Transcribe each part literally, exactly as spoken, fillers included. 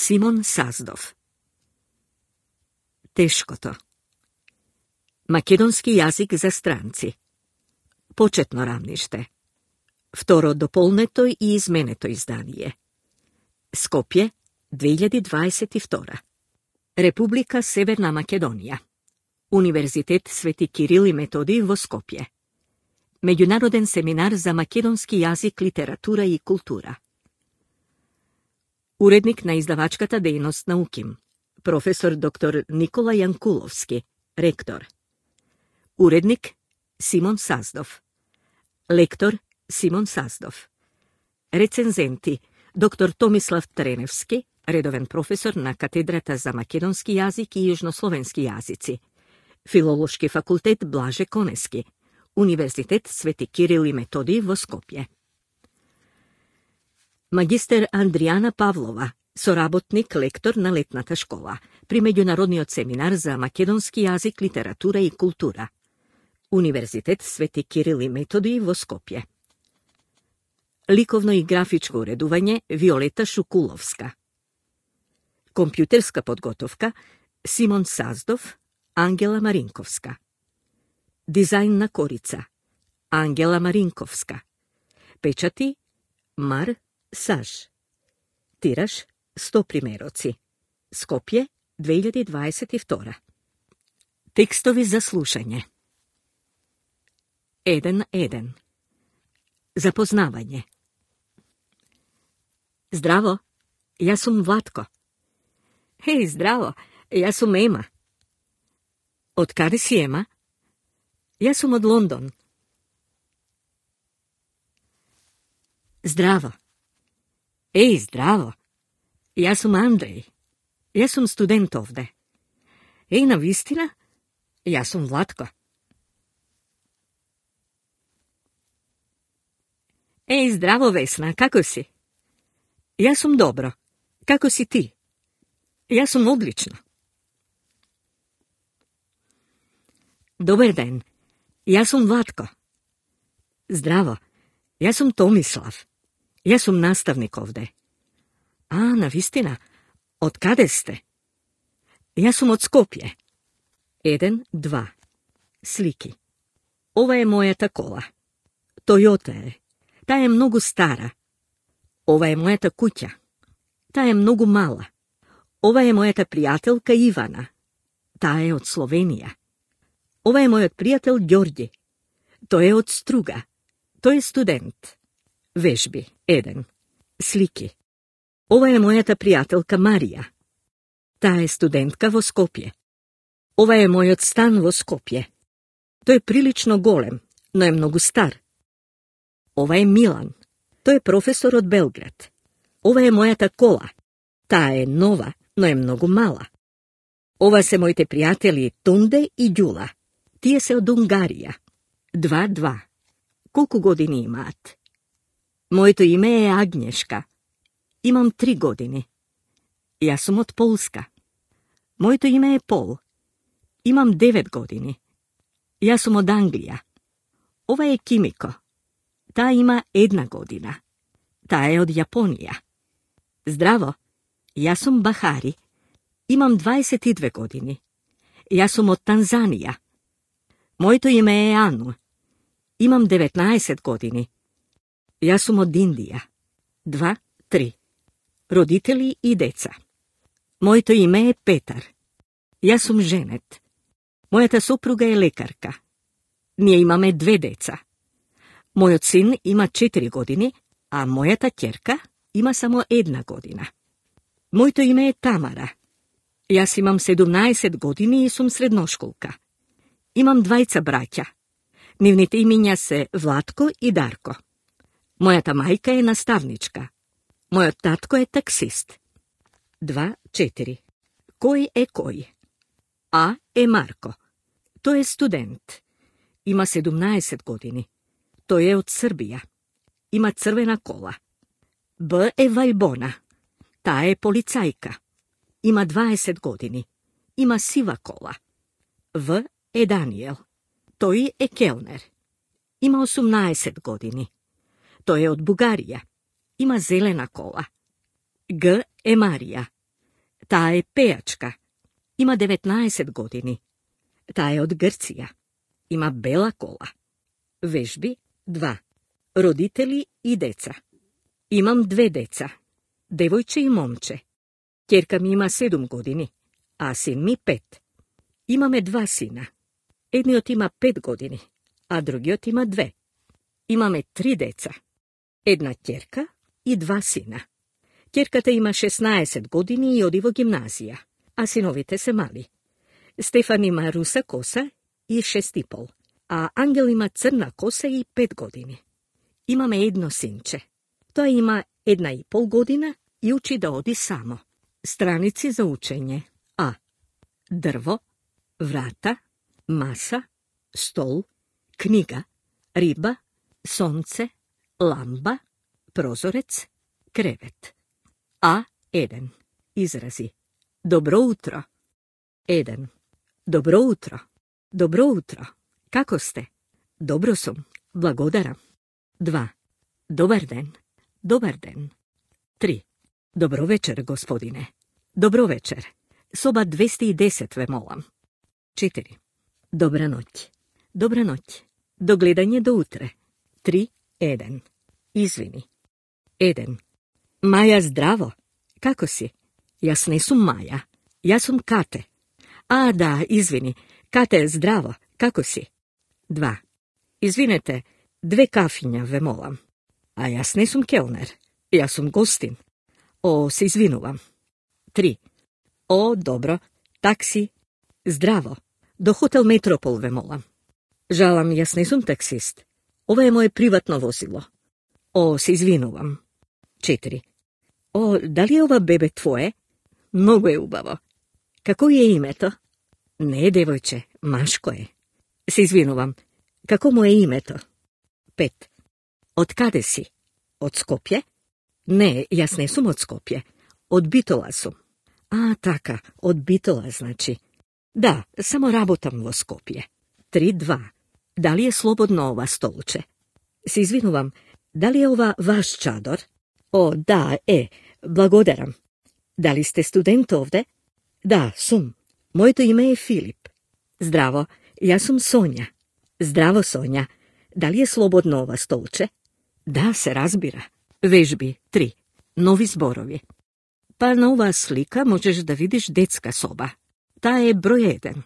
Симон Саздов. Тешкото. Македонски јазик за странци. Почетно рамниште. Второ дополнето и изменето издание. Скопје, две илјади дваесет и втора. Република Северна Македонија. Универзитет Свети Кирил и Методиј во Скопје. Меѓународен семинар за македонски јазик, литература и култура. Уредник на издавачката дејност на УКИМ. Професор доктор Никола Јанкуловски, ректор. Уредник Симон Саздов. Лектор Симон Саздов. Рецензенти доктор Томислав Треневски, редовен професор на катедрата за македонски јазик и јужнословенски јазици. Филолошки факултет Блаже Конески. Универзитет Свети Кирил и Методиј во Скопје. Магистер Андријана Павлова, соработник лектор на летната школа при меѓународниот семинар за македонски јазик, литература и култура. Универзитет Свети Кирил и Методиј во Скопје. Ликовно и графичко уредување Виолета Шукуловска. Компјутерска подготовка Симон Саздов, Ангела Маринковска. Дизајн на корица Ангела Маринковска. Печати Мар Саж. Тираж сто примероци. Скопје, две илјади дваесет и втора. Текстови за слушање. еден еден. Запознавање. Здраво, јас сум Владко. Хеј, здраво, јас сум Ема. Од каде си, Ема? Јас сум од Лондон. Здраво. Еј, здраво. Јас сум Андреј. Јас сум студент овде. Еј, навистина, јас сум Владко. Еј, здраво, Весна, како си? Јас сум добро. Како си ти? Јас сум одлично. Добар ден. Јас сум Владко. Здраво. Јас сум Томислав. Јас сум наставник овде. А, навистина, од каде сте? Јас сум од Скопје. Еден, два. Слики. Ова е мојата кола. Тојота е. Таа е многу стара. Ова е мојата куќа. Таа е многу мала. Ова е мојата пријателка Ивана. Таа е од Словенија. Ова е мојот пријател Ѓорѓи. Тој е од Струга. Тој е студент. Вежби. Еден. Слики. Ова е мојата пријателка Марија. Таа е студентка во Скопје. Ова е мојот стан во Скопје. Тој е прилично голем, но е многу стар. Ова е Милан. Тој е професор од Белград. Ова е мојата кола. Таа е нова, но е многу мала. Ова се моите пријатели Тунде и Ѓула. Тие се од Унгарија. Два, два. Колку години имаат? Моето име е Агнешка. Имам три години. Јас сум од Полска. Моето име е Пол. Имам девет години. Јас сум од Англија. Ова е Кимико. Таа има една година. Таа е од Јапонија. Здраво, јас сум Бахари. Имам дваесет и две години. Јас сум од Танзанија. Моето име е Ану. Имам деветнаесет години. Јас сум од Индија. Два, три. Родители и деца. Моето име е Петар. Јас сум женет. Мојата сопруга е лекарка. Ние имаме две деца. Мојот син има четири години, а мојата ќерка има само една година. Моето име е Тамара. Јас имам седумнаесет години и сум средношколка. Имам двајца браќа. Нивните имиња се Владко и Дарко. Мојата мајка е наставничка. Мојот татко е таксист. Два, четири. Кој е кој? А е Марко. Тој е студент. Има седумнаесет години. Тој е од Србија. Има црвена кола. Б е Вајбона. Таа е полицајка. Има дваесет години. Има сива кола. В е Даниел. Тој е келнер. Има осумнаесет години. Тој е од Бугарија. Има зелена кола. Г е Марија. Таа е пејачка. Има деветнаесет години. Таа е од Грција. Има бела кола. Вежби два. Родители и деца. Имам две деца. Девојче и момче. Ќерка ми има седум години, а син ми пет. Имаме два сина. Едниот има пет години, а другиот има две. Имаме три деца. Една ќерка и два сина. Ќерката има шеснаесет години и оди во гимназија, а синовите се мали. Стефан има руса коса и шест и пол, а Ангел има црна коса и пет години. Имаме едно синче. Тоа има една и пол година и учи да оди само. Страници за учење. А. Дрво, врата, маса, стол, книга, риба, сонце, ламба, прозорец, кревет. А еден. Изрази. Добро утро. Еден. Добро утро. Добро утро. Како сте? Добро сум. Благодарам. Два. Добар ден. Добар ден. Три. Добро вечер, господине. Добро вечер. Соба двеста и десет ве молам. Четири. Добра ноќ. Добра ноќ. До гледање до утре. Три. Еден. Извини. Еден. Маја, здраво. Како си? Јас не сум Маја. Јас сум Кате. А, да, извини. Кате, здраво. Како си? Два. Извинете, две кафиња ве молам. А јас не сум келнер. Јас сум гостин. О, се извинувам. Три. О, добро. Такси. Здраво. До хотел Метропол ве молам. Жалам, јас не сум таксист. Ова е моje приватно возило. О, се извинувам. Четири. О, дали ова бебе твое? Многу е убаво. Како е името? Не, девојче, машко е. Се извинувам. Како му е името? Пет. Од каде си? Од Скопје? Не, јас не сум од Скопје. Од Битола сум. А, така, од Битола, значи. Да, само работам во Скопје. Три, два. Дали е слободно ова столче? Се извинувам, дали е ова ваш чадор? О, да, е, благодарам. Дали сте студент овде? Да, сум. Моето име е Филип. Здраво, јас сум Сонја. Здраво, Сонја. Дали е слободно ова столче? Да, се разбира. Вежби три. Нови зборови. Па на оваа слика можеш да видиш детска соба. Таа е број еден.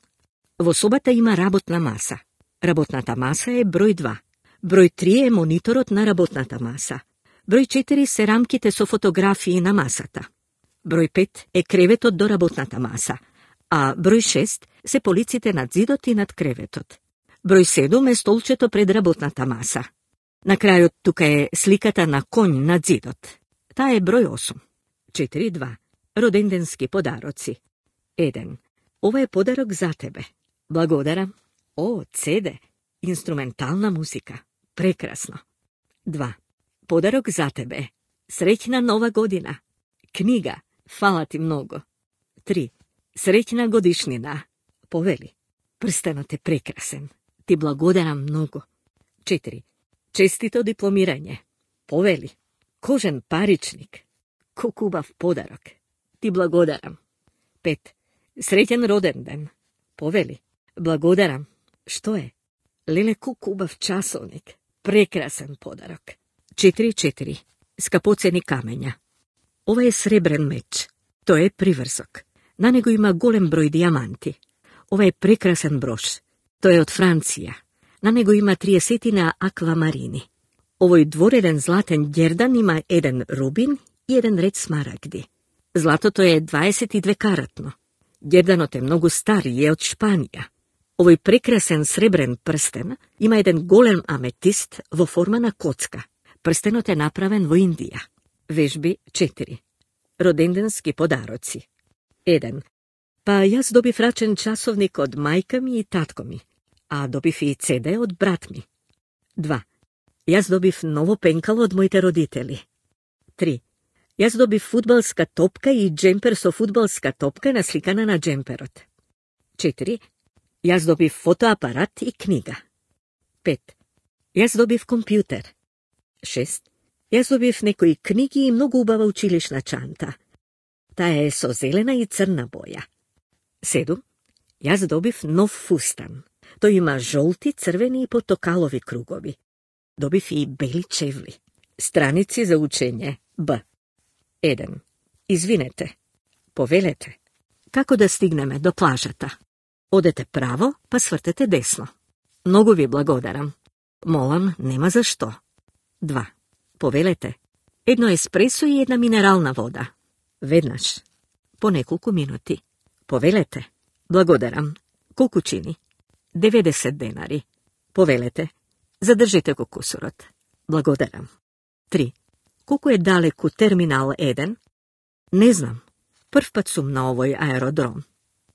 Во собата има работна маса. Работната маса е број два. Број три е мониторот на работната маса. Број четири се рамките со фотографии на масата. Број пет е креветот до работната маса, а број шест се полиците над зидот и над креветот. Број седум е столчето пред работната маса. На крајот тука е сликата на коњ над зидот. Таа е број осум. Четири два. Роденденски подароци. Еден. Ова е подарок за тебе. Благодарам. О, цеде. Инструментална музика. Прекрасно. Два. Подарок за тебе. Среќна нова година. Книга. Фала ти многу. Три. Среќна годишнина. Повели. Прстенот е прекрасен. Ти благодарам многу. Четири. Честито дипломирање. Повели. Кожен паричник. Колку убав подарок. Ти благодарам. Пет. Среќен роден ден. Повели. Благодарам. Што е? Леле, колку убав часовник. Прекрасен подарок. Четири четири. Скапоцени камења. Ова е сребрен меч. Тој е приврсок. На него има голем број дијаманти. Ова е прекрасен брош. Тој е од Франција. На него има триесетина аквамарини. Овој двореден златен ѓердан има еден рубин и еден ред смарагди. Златото е дваесет и две каратно. Ѓерданот е многу стар и е од Шпанија. Овој прекрасен сребрен прстен има еден голем аметист во форма на коцка. Прстенот е направен во Индија. Вежби четири. Роденденски подароци. Еден. Па јас добив рачен часовник од мајка ми и татко ми, а добив и цеде од брат ми. Два. Јас добив ново пенкало од моите родители. Три. Јас добив фудбалска топка и джемпер со фудбалска топка насликана на джемперот. Четири. Јас добив фотоапарат и книга. Пет. Јас добив компјутер. Шест. Јас добив некои книги и многу убава училишна чанта. таа е со зелена и црна боја. Седум. Јас добив нов фустан. Тој има жолти, црвени и потокалови кругови. Добив и бели чевли. Страници за учење. Б. еден. Извинете. Повелете. Како да стигнеме до плажата? Одете право, па свртете десно. Многу ви благодарам. Молам, нема за што. Два. Повелете. Едно еспресо и една минерална вода. Веднаш. По неколку минути. Повелете. Благодарам. Колку чини? деветдесет денари. Повелете. Задржите го кусурот. Благодарам. Три. Колку е далеку терминал еден? Не знам. Прв пат сум на овој аеродром.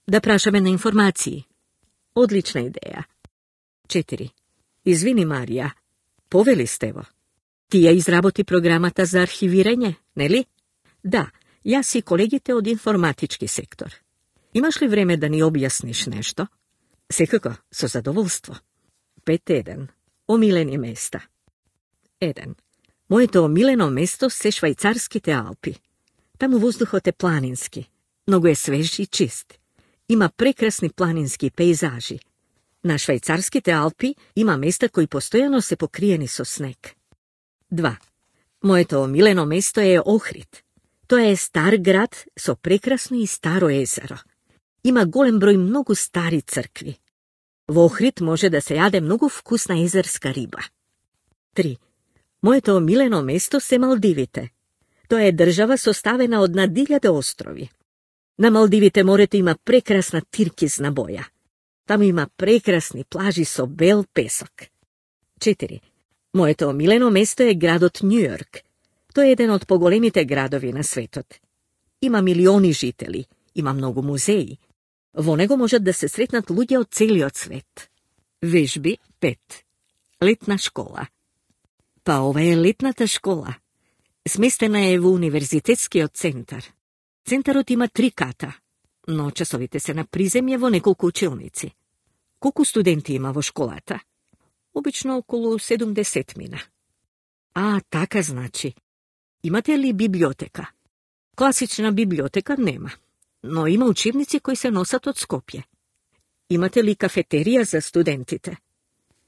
Да прашаме на информации. Одлична идеја. Четири. Извини, Марија. Повели сте во. Ти ја изработи програмата за архивирање, нели? Да, јас и колегите од информатички сектор. Имаш ли време да ни објасниш нешто? Секако, со задоволство. Пет еден. Омилени места. Еден. Моето омилено место се Швајцарските Алпи. Таму воздухот е планински, многу е свеж и чист. Има прекрасни планински пейзажи. На Швајцарските Алпи има места кои постојано се покриени со снег. Два. Моето омилено место е Охрид. Тоа е стар град со прекрасно и старо езеро. Има голем број многу стари цркви. Во Охрид може да се јаде многу вкусна езерска риба. Три. Моето омилено место се Малдивите. Тоа е држава составена од над илјада острови. На Малдивите морето има прекрасна тиркизна боја. Таму има прекрасни плажи со бел песок. Четири. Моето омилено место е градот Њујорк. Тој е еден од поголемите градови на светот. Има милиони жители, има многу музеи. Во него можат да се сретнат луѓе од целиот свет. Вежби пет. Летна школа. Па ова е летната школа. Сместена е во универзитетскиот центар. Центарот има три ката, но часовите се на приземје во неколку училници. Колку студенти има во школата? Обично околу седумдесет мина. А, така значи. Имате ли библиотека? Класична библиотека нема, но има учебници кои се носат од Скопје. Имате ли кафетерија за студентите?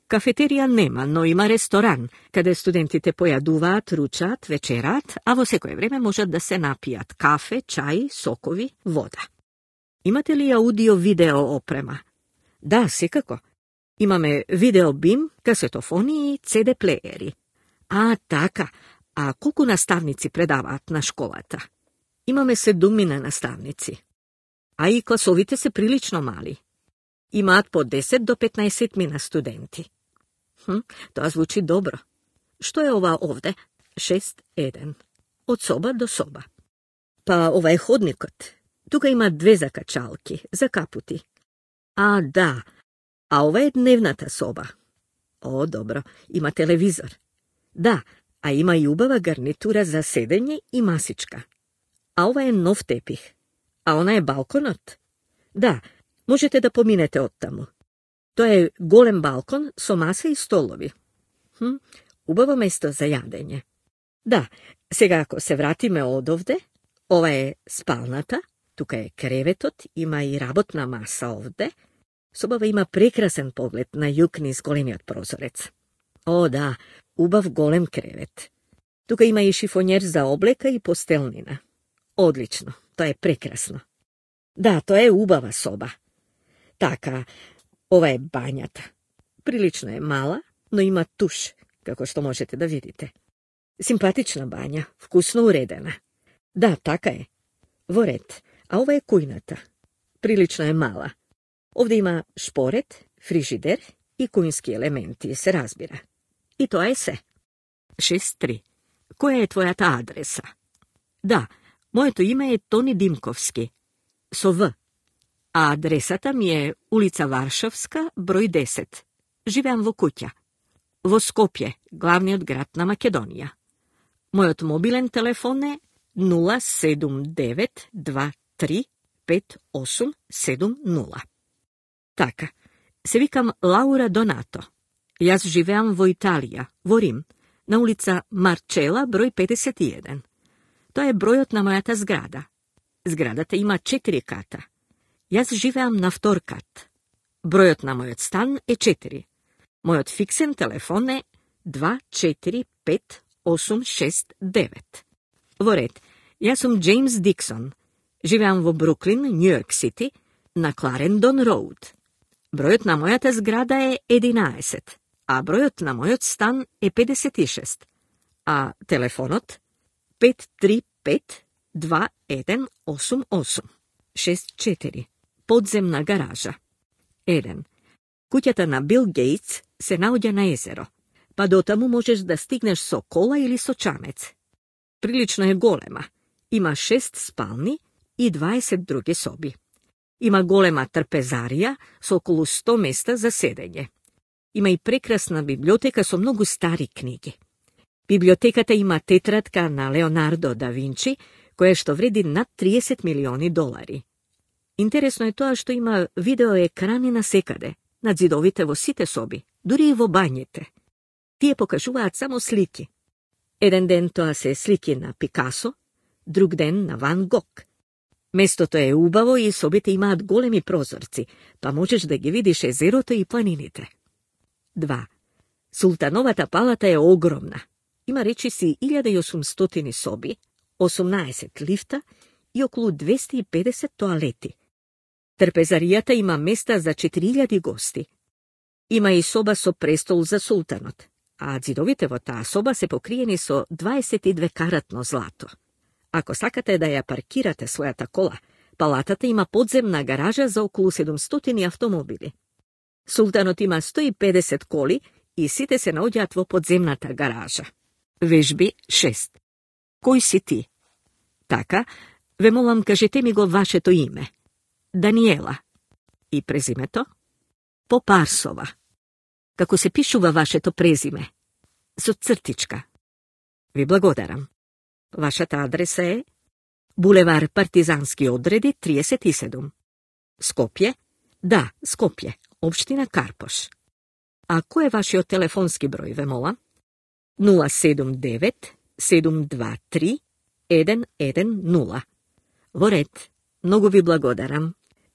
Кафетерија нема, но има ресторан, каде студентите појадуваат, ручаат, вечерат, а во секое време можат да се напијат кафе, чај, сокови, вода. Имате ли аудио-видео опрема? Да, секако. Имаме видеобим, касетофони и си ди плеери. А, така. А колку наставници предаваат на школата? Имаме седумина наставници. А и класовите се прилично мали. Имаат по десет до петнаесет мина студенти. Хм, тоа звучи добро. Што е ова овде? шест еден. Од соба до соба. Па ова е ходникот. Тука има две закачалки, за капути. А, да. А ова е дневната соба. О, добро. Има телевизор. Да, а има и убава гарнитура за седење и масичка. А ова е нов тепих. А она е балконот. Да, можете да поминете оттаму. Тоа е голем балкон со маса и столови. Хм, убаво место за јадење. Да, сега ако се вратиме одовде, ова е спалната, тука е креветот, има и работна маса овде. Собава има прекрасен поглед на југ низ големиот прозорец. О, да, убав голем кревет. Тука има и шифонер за облека и постелнина. Одлично, тоа е прекрасно. Да, тоа е убава соба. Така, ова е бањата. Прилично е мала, но има туш, како што можете да видите. Симпатична бања, вкусно уредена. Да, така е. Во ред, а ова е кујната. Прилично е мала. Овде има шпорет, фрижидер и кујнски елементи, се разбира. И тоа е се. шест три. Која е твојата адреса? Да, моето име е Тони Димковски, со В. А адресата ми е улица Варшавска, број десет. Живеам во куќа. Во Скопје, главниот град на Македонија. Мојот мобилен телефон е нула седум девет два три пет осум седум нула. Така, се викам Лаура Донато. Јас живеам во Италија, во Рим, на улица Марчела, број педесет и еден. Тоа е бројот на мојата зграда. Зградата има четири ката. Јас живеам на втор кат. Бројот на мојот стан е четири. Мојот фиксен телефон е два четири пет осум шест девет. Во ред, јас сум Джеймс Диксон. Живеам во Бруклин, Њујорк Сити, на Кларендон Роуд. Бројот на мојата зграда е единаесет, а бројот на мојот стан е педесет и шест, а телефонот пет три пет два еден осум осум шест четири. Подземна гаража. еден. Куќата на Бил Гейтс се наоѓа на езеро, па дотаму можеш да стигнеш со кола или со чамец. Прилично е голема. Има шест спални и дваесет други соби. Има голема трпезарија со околу сто места за седење. Има и прекрасна библиотека со многу стари книги. Библиотеката има тетрадка на Леонардо да Винчи, која што вреди над триесет милиони долари. Интересно е тоа што има видеоекрани насекаде, над зидовите во сите соби, дури и во бањите. Тие покажуваат само слики. Еден ден тоа се слики на Пикасо, друг ден на Ван Гог. Местото е убаво и собите имаат големи прозорци, па можеш да ги видиш езерото и планините. два. Султановата палата е огромна. Има речиси илјада и осумстотини соби, осумнаесет лифта и околу двесте и педесет тоалети. Трпезаријата има места за четири илјади гости. Има и соба со престол за султанот, а зидовите во таа соба се покриени со дваесет и две каратно злато. Ако сакате да ја паркирате својата кола, палатата има подземна гаража за околу седумстотини автомобили. Султанот има сто и педесет коли и сите се наоѓаат во подземната гаража. Вежби шест. Кој си ти? Така, ве молам, кажете ми го вашето име. Даниела. И презимето? Попарсова. Како се пишува вашето презиме? Со цртичка. Ви благодарам. Вашата адреса е булевар Партизански одреди триесет и седум. Скопје? Да, Скопје, општина Карпош. А кој е вашиот телефонски број, ве молам? нула седум девет седум два три еден еден нула. Во ред, многу ви благодарам.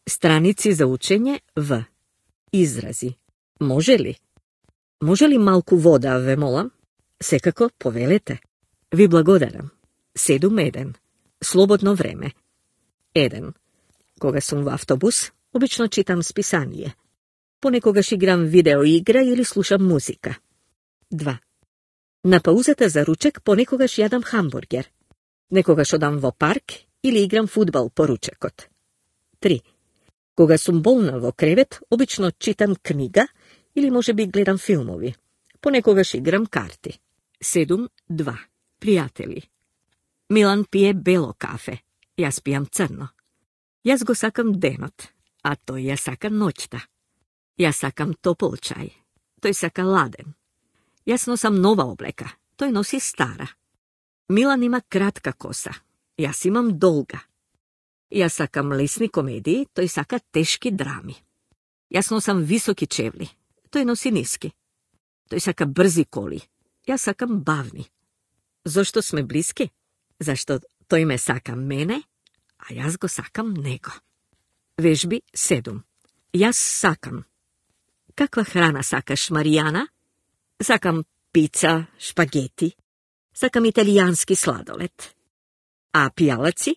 Страници за учење В. Изрази. Може ли? Може ли малку вода, ве молам? Секако, повелете. Ви благодарам. седум еден. Слободно време. еден. Кога сум во автобус, обично читам списание. Понекогаш играм видеоигра или слушам музика. два. На паузата за ручек понекогаш јадам хамбургер. Некогаш одам во парк или играм фудбал по ручекот. три. Кога сум болна во кревет, обично читам книга или можеби гледам филмови. Понекогаш играм карти. седум два. Пријатели. Милан пие бело кафе. Јас пијам црно. Јас го сакам денот, а тој ја сака ноќта. Јас сакам топол чај. Тој сака ладен. Јас носам нова облека. Тој носи стара. Милан има кратка коса. Јас имам долга. Јас сакам лесни комедии, тој сака тешки драми. Јас носам високи чевли. Тој носи ниски. Тој сака брзи коли. Јас сакам бавни. Зошто сме блиски? Зашто тој ме сака мене, а јас го сакам него. Вежби седум. Јас сакам. Каква храна сакаш, Маријана? Сакам пица, шпагети. Сакам италијански сладолед. А пијалаци?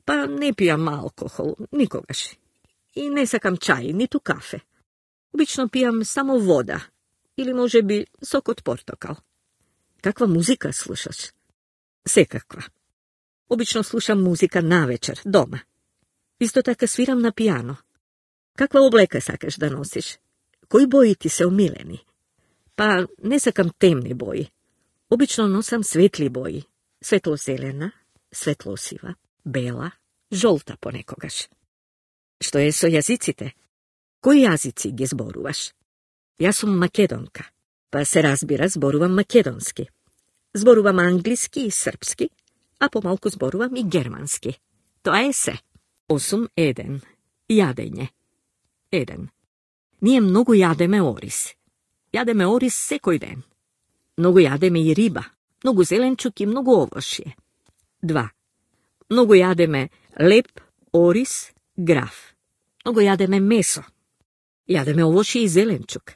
Па не пијам алкохол, никогаш. И не сакам чај, ниту кафе. Обично пијам само вода, или може би сок од портокал. Каква музика слушаш? Секаква. Обично слушам музика навечер, дома. Исто така свирам на пијано. Каква облека сакаш да носиш? Кои бои ти се омилени? Па не сакам темни бои. Обично носам светли бои. Светло-зелена, светло-сива, бела, жолта понекогаш. Што е со јазиците? Кои јазици ги зборуваш? Јас сум македонка, па се разбира зборувам македонски. Зборувам англиски и српски, а помалку зборувам и германски. Тоа е се. осум еден. Јадење. еден. Ние многу јадеме ориз. Јадеме ориз секој ден. Многу јадеме и риба, многу зеленчук и многу овошје. два. Многу јадеме леп, ориз, граф. Многу јадеме месо. Јадеме овошје и зеленчук.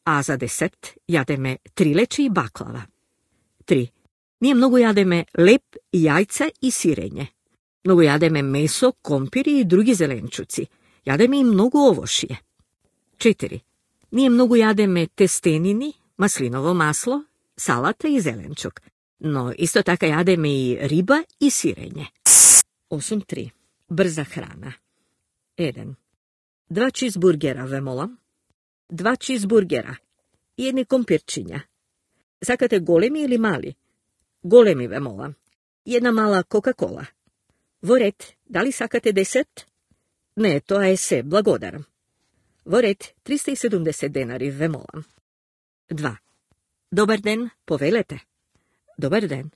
А за десерт јадеме трилече и баклава. три. Ние многу јадеме леп, јајца и сирење. Многу јадеме месо, компири и други зеленчуци. Јадеме и многу овошје. четири. Ние многу јадеме тестенини, маслиново масло, салата и зеленчук. Но исто така јадеме и риба и сирење. осум три. Брза храна. еден. Два чизбургера, ве молам. Два чизбургера и едни компирчиња. Сакате големи или мали? Големи, ве молам. И една мала Кока-кола. Во ред, дали сакате десерт? Не, тоа е се, благодарам. Во ред, триста и седумдесет денари, ве молам. два. Добар ден, повелете. Добар ден.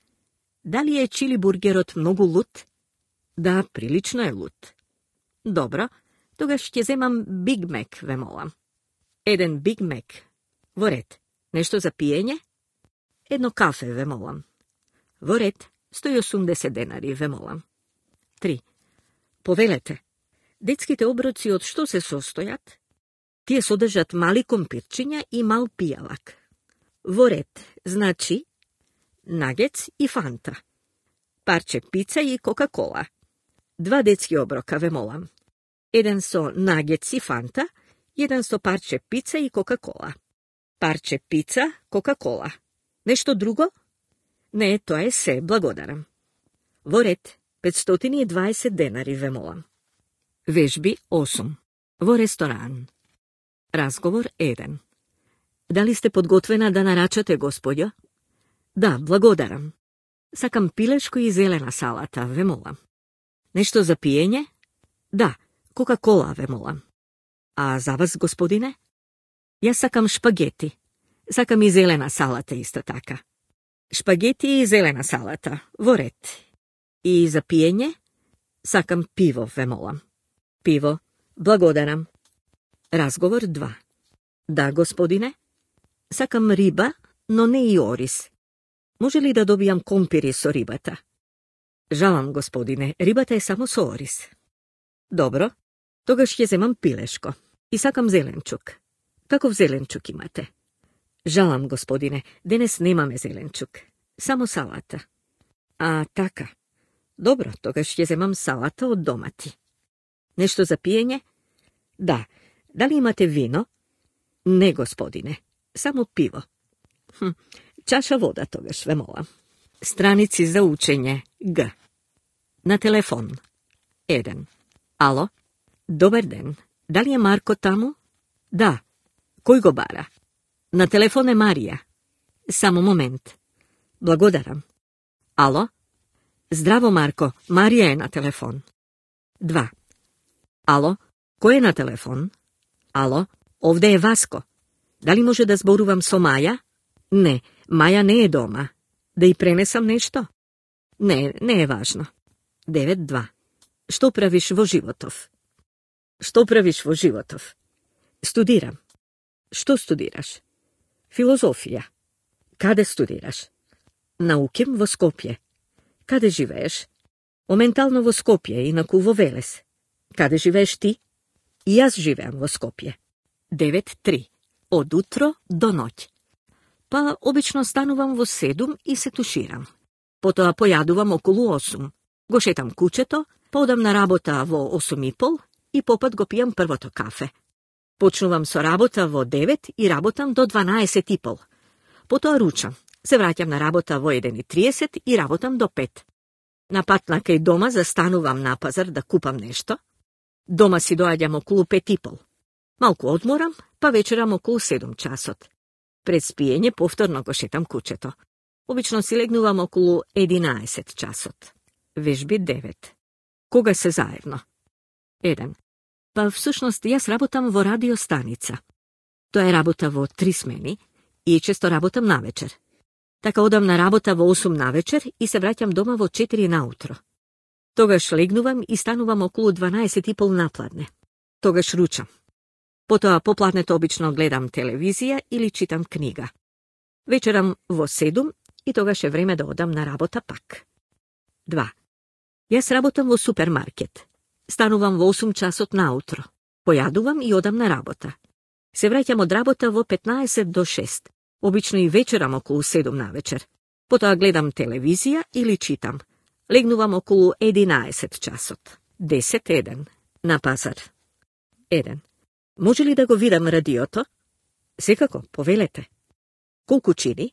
Дали е чили бургерот многу лут? Да, прилично е лут. Добро, тогаш ќе земам Биг Мек, ве молам. Еден Биг Мек. Во ред, нешто за пиење? Едно кафе, ве молам. Во ред, сто и осумдесет денари, ве молам. три. Повелете. Детските оброци од што се состојат? Тие содржат мали компирчиња и мал пијалак. Во ред, значи, нагец и фанта. Парче пица и Кока-кола. Два детски оброка, ве молам. Еден со нагец и фанта, еден со парче пица и Кока-кола. Парче пица, Кока-кола. Нешто друго? Не, тоа е се, благодарам. Во ред, петстотини и дваесет денари, ве молам. Вежби осум. Во ресторан. Разговор еден. Дали сте подготвена да нарачате, господјо? Да, благодарам. Сакам пилешко и зелена салата, ве молам. Нешто за пиење? Да, Кока-кола, ве молам. А за вас, господине? Јас сакам шпагети. Сакам и зелена салата исто така. Шпагети и зелена салата, во ред. И за пиење? Сакам пиво, ве молам. Пиво, благодарам. Разговор два. Да, господине? Сакам риба, но не и ориз. Може ли да добијам компири со рибата? Жалам, господине, рибата е само со ориз. Добро, тогаш ќе земам пилешко. И сакам зеленчук. Каков зеленчук имате? Жалам, господине, денес немаме зеленчук. Само салата. А, така. Добро, тогаш ќе земам салата од домати. Нешто за пиење? Да. Дали имате вино? Не, господине. Само пиво. Хм, чаша вода тогаш, ве молам. Страници за учење. Г. На телефон. еден. Ало? Добар ден. Дали е Марко таму? Да. Кој го бара? На телефон е Марија. Само момент. Благодарам. Ало? Здраво, Марко. Марија е на телефон. два. Ало? Кој е на телефон? Ало? Овде е Васко. Дали може да зборувам со Маја? Не, Маја не е дома. Да и пренесам нешто? Не, не е важно. девет два. Што правиш во животов? Што правиш во животов? Студирам. Што студираш? Филозофија. Каде студираш? Науким во Скопје. Каде живееш? Моментално во Скопје, инаку во Велес. Каде живееш ти? И јас живеам во Скопје. девет три. Од утро до ноќ. Па, обично станувам во седум и се туширам. Потоа појадувам околу осум. Го шетам кучето, подам на работа во осум и пол и попат го пијам првото кафе. Почнувам со работа во девет и работам до дванаесет и пол. Потоа ручам. Се враќам на работа во еден и триесет и работам до пет. На пат на кај дома застанувам на пазар да купам нешто. Дома си доаѓам околу пет и пол. Малку одморам, па вечерам околу седум часот. Пред спиење повторно го шетам кучето. Обично си легнувам околу единаесет часот. Вежби девет. Кога се заедно? еден. Па всушност јас работам во радиостаница. Тоа е работа во три смени и често работам навечер. Така одам на работа во осум навечер и се враќам дома во четири наутро. Тогаш легнувам и станувам околу дванаесет и пол напладне. Тогаш ручам. Потоа попладнето обично гледам телевизија или читам книга. Вечерам во седум и тогаш е време да одам на работа пак. два. Јас работам во супермаркет. Станувам во осум часот наутро. Појадувам и одам на работа. Се враќам од работа во петнаесет до шест. Обично и вечерам околу седум на вечер. Потоа гледам телевизија или читам. Легнувам околу единаесет часот. десет еден. На пазар. еден. Може ли да го видам радиото? Секако, повелете. Колку чини?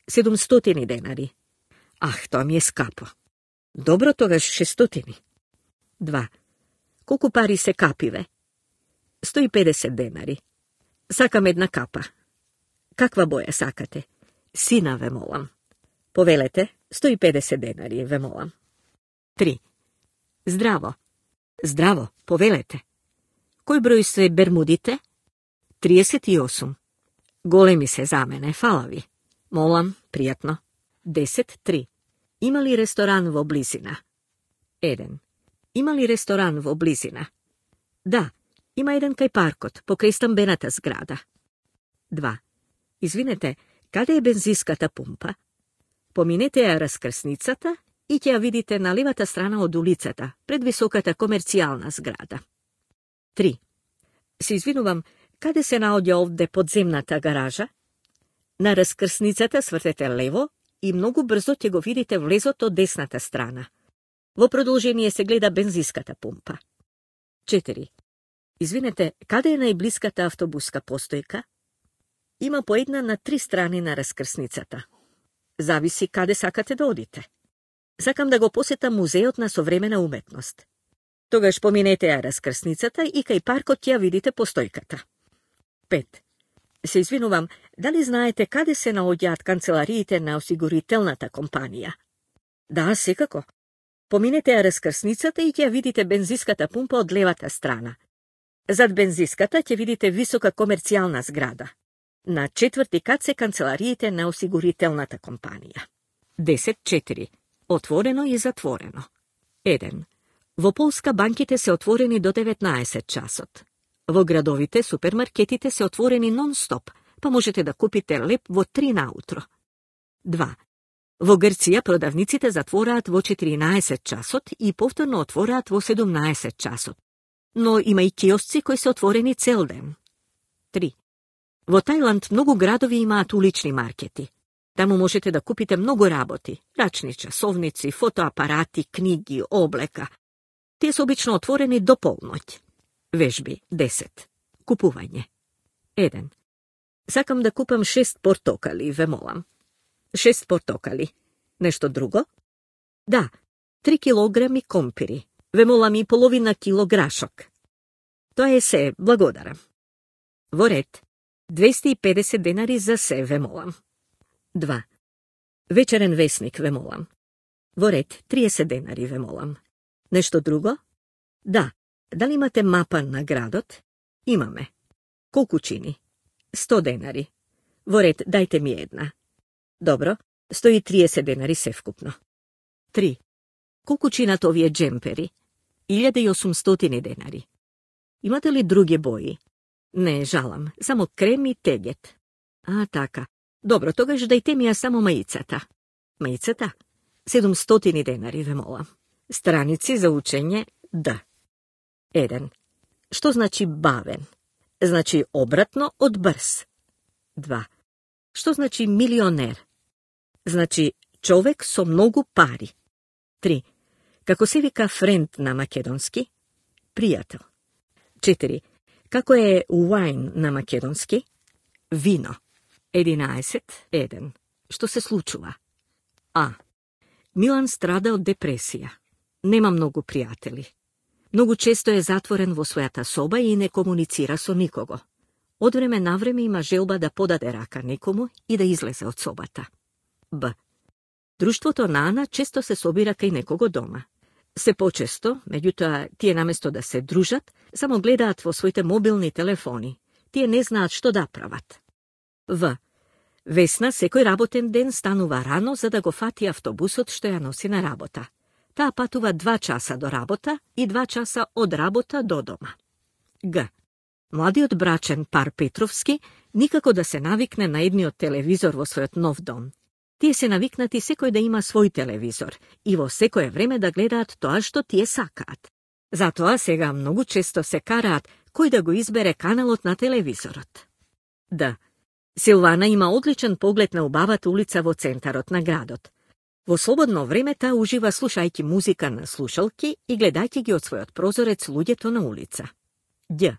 седумстотини денари. Ах, тоа ми е скапо. Добро, тогаш шестстотини. два. Колку пари се капиве? сто и педесет денари. Сакам една капа. Каква боја сакате? Сина, ве молам. Повелете, сто и педесет денари, ве молам. три. Здраво. Здраво, повелете. Кој број се бермудите? триесет и осум. Големи се за мене, фала ви. Молам, пријатно. десет три. Има ли ресторан во близина? еден. Има ли ресторан во близина? Да, има еден кај паркот, покрај стамбената зграда. два. Извинете, каде е бензинската пумпа? Поминете ја раскрсницата и ќе ја видите на левата страна од улицата, пред високата комерцијална зграда. три. Се извинувам, каде се наоѓа овде подземната гаража? На раскрсницата свртете лево и многу брзо ќе го видите влезот од десната страна. Во продолжение се гледа бензинската пумпа. четири. Извинете, каде е најблиската автобуска постојка? Има по една на три страни на раскрсницата. Зависи каде сакате да одите. Сакам да го посетам музеот на современа уметност. Тогаш поминете ја раскрсницата и кај паркот ќе ја видите постојката. пет. Се извинувам, дали знаете каде се наоѓаат канцелариите на осигурителната компанија? Да, секако. Поминете ја раскрсницата и ќе ја видите бензинската пумпа од левата страна. Зад бензинската ќе видите висока комерцијална зграда. На четврти кат се канцелариите на осигурителната компанија. десет четири. Отворено и затворено. еден. Во Полска банките се отворени до деветнаесет часот. Во градовите супермаркетите се отворени нон-стоп, па можете да купите леп во три наутро. два. Во Грција продавниците затвораат во четиринаесет часот и повторно отвораат во седумнаесет часот. Но има и киосци кои се отворени цел ден. три. Во Тајланд многу градови имаат улични маркети. Таму можете да купите многу работи, рачни часовници, фотоапарати, книги, облека. Тие се обично отворени до полноќ. Вежби десет. Купување. еден. Сакам да купам шест портокали, ве молам. шест портокали. Нешто друго? Да, три килограми компири. Ве молам и половина кило грашок. Тоа е се, благодарам. Во ред, двесте и педесет денари за се, ве молам. два. Вечерен весник, ве молам. Во ред, триесет денари, ве молам. Нешто друго? Да. Дали имате мапа на градот? Имаме. Колку чини? сто денари. Во ред, дајте ми една. Добро, сто и триесет денари се вкупно. три. Колку чинат овие джемпери? илјада и осумстотини денари. Имате ли други бои? Не, жалам, само крем и тегет. А, така. Добро, тогаш дајте ми ја само маицата. Маицата? седумстотини денари, ве молам. Страници за учење, да. еден. Што значи бавен? Значи обратно од брз. два. Што значи милионер? Значи човек со многу пари. три. Како се вика френд на македонски? Пријател. четири. Како е wine на македонски? Вино. единаесет еден. Што се случува? А. Милан страда од депресија. Нема многу пријатели. Многу често е затворен во својата соба и не комуницира со никого. Од време на време има желба да подаде рака некому и да излезе од собата. Б. Друштвото на Ана често се собира кај некого дома. Се почесто, меѓутоа, тие наместо да се дружат, само гледаат во своите мобилни телефони. Тие не знаат што да прават. В. Весна секој работен ден станува рано за да го фати автобусот што ја носи на работа. Таа патува два часа до работа и два часа од работа до дома. Г. Младиот брачен пар Петровски никако да се навикне на едниот телевизор во својот нов дом. Тие се навикнати секој да има свој телевизор и во секое време да гледаат тоа што тие сакаат. Затоа сега многу често се караат кој да го избере каналот на телевизорот. Д. Силвана има одличен поглед на убавата улица во центарот на градот. Во слободно време таа ужива слушајќи музика на слушалки и гледајќи ги од својот прозорец луѓето на улица. Ѓ.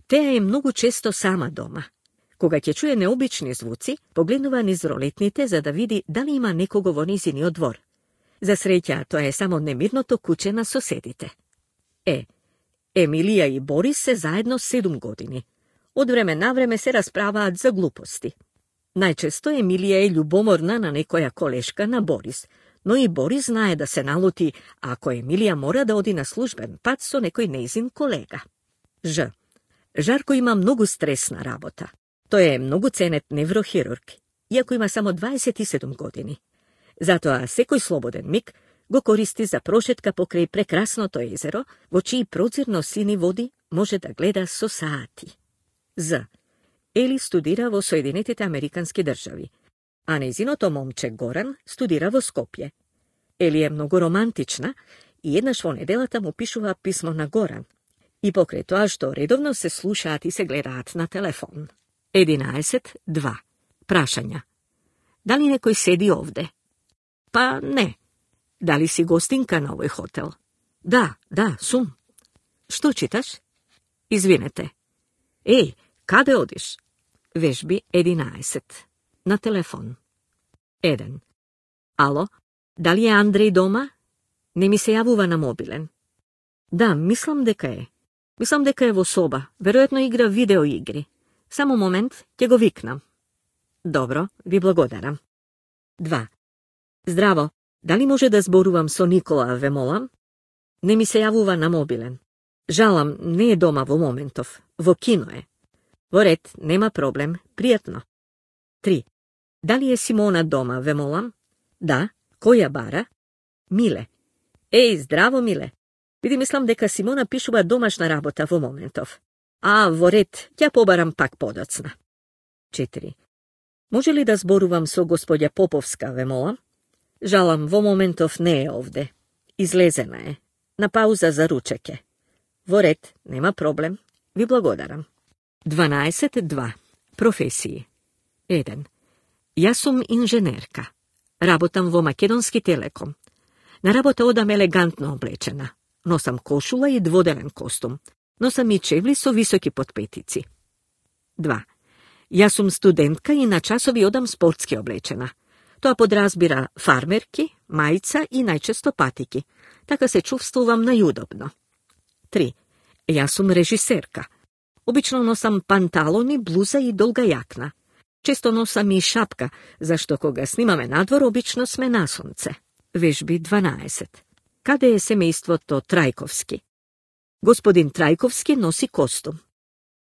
Теа е многу често сама дома. Кога ќе чуе необични звуци, погледнува низ ролетните за да види дали има некого во низиниот двор. За среќа, тоа е само немирното куче на соседите. Е. Емилија и Борис се заедно седум години. Од време на време се расправаат за глупости. Најчесто Емилија е љубоморна на некоја колешка на Борис, но и Борис знае да се налути ако Емилија мора да оди на службен пат со некој нејзин колега. Ж. Жарко има многу стресна работа. Тој е многу ценет неврохирург, иако има само дваесет и седум години. Затоа секој слободен миг го користи за прошетка покрај прекрасното езеро, во чии прозирно сини води може да гледа со саати. З. Ели студира во Соединетите Американски држави, а нејзиното момче Горан студира во Скопје. Ели е многу романтична и еднаш во неделата му пишува писмо на Горан, и покрај тоа што редовно се слушаат и се гледаат на телефон. единаесет два. Прашања. Дали некој седи овде? Па не. Дали си гостинка на овој хотел? Да, да, сум. Што читаш? Извинете. Еј, каде одиш? Вежби единаесет. На телефон. еден. Ало, дали е Андреј дома? Не ми се јавува на мобилен. Да, мислам дека е. Мислам дека е во соба. Веројатно игра видеоигри. Само момент, ќе го викнам. Добро, ви благодарам. два. Здраво, дали може да зборувам со Никола, ве молам? Не ми се јавува на мобилен. Жалам, не е дома во моментов. Во кино е. Во ред, нема проблем, пријатно. три. Дали е Симона дома, ве молам? Да, кој ја бара? Миле. Еј, здраво, Миле. Види, мислам дека Симона пишува домашна работа во моментов. А, во ред, ќе побарам пак подоцна. четири. Може ли да зборувам со господја Поповска, ве молам? Жалам, во моментов не е овде. Излезена е. На пауза за ручеке. Во ред, нема проблем. Ви благодарам. дванаесет два. Професии. еден. Јас сум инженерка. Работам во Македонски телеком. На работа одам елегантно облечена. Носам кошула и дводелен костум. Носам и чевли со високи подпетици. два. Јас сум студентка и на часови одам спортски облечена. Тоа подразбира фармерки, мајца и најчесто патики. Така се чувствувам најудобно. три. Јас сум режисерка. Обично носам панталони, блуза и долга јакна. Често носам и шапка, зашто кога снимаме надвор, обично сме на сонце. Вежби дванаесет. Каде е семејството Трајковски? Господин Трајковски носи костум.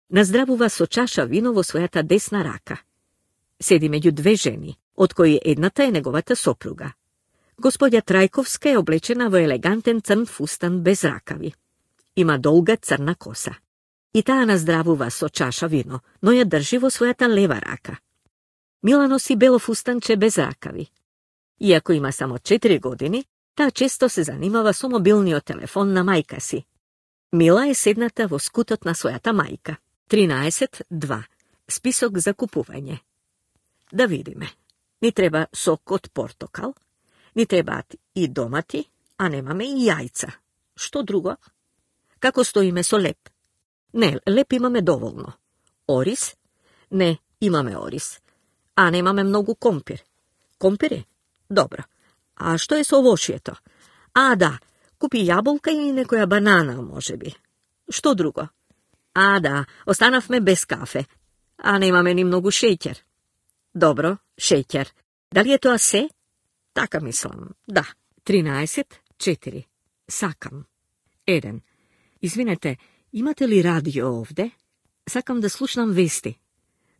Наздравува со чаша вино во својата десна рака. Седи меѓу две жени, од кои едната е неговата сопруга. Господја Трајковска е облечена во елегантен црн фустан без ракави. Има долга црна коса. И таа наздравува со чаша вино, но ја држи во својата лева рака. Мила носи бело фустанче без ракави. Иако има само четири години, таа често се занимава со мобилниот телефон на мајка си. Мила е седната во скутот на својата мајка. тринаесет два. Список за купување. Да видиме. Ни треба сок од портокал, ни требаат и домати, а немаме и јајца. Што друго? Како стоиме со леп? Не, леп имаме доволно. Орис? Не, имаме орис. А немаме многу компир. Компир е? Добро. А што е со овошјето? А, да, купи јаболка и некоја банана, може би. Што друго? А, да, останавме без кафе. А немаме ни многу шеќер. Добро, шеќер. Дали е тоа се? Така мислам, да. тринаесет четири. Сакам. еден. Извинете, имате ли радио овде? Сакам да слушнам вести.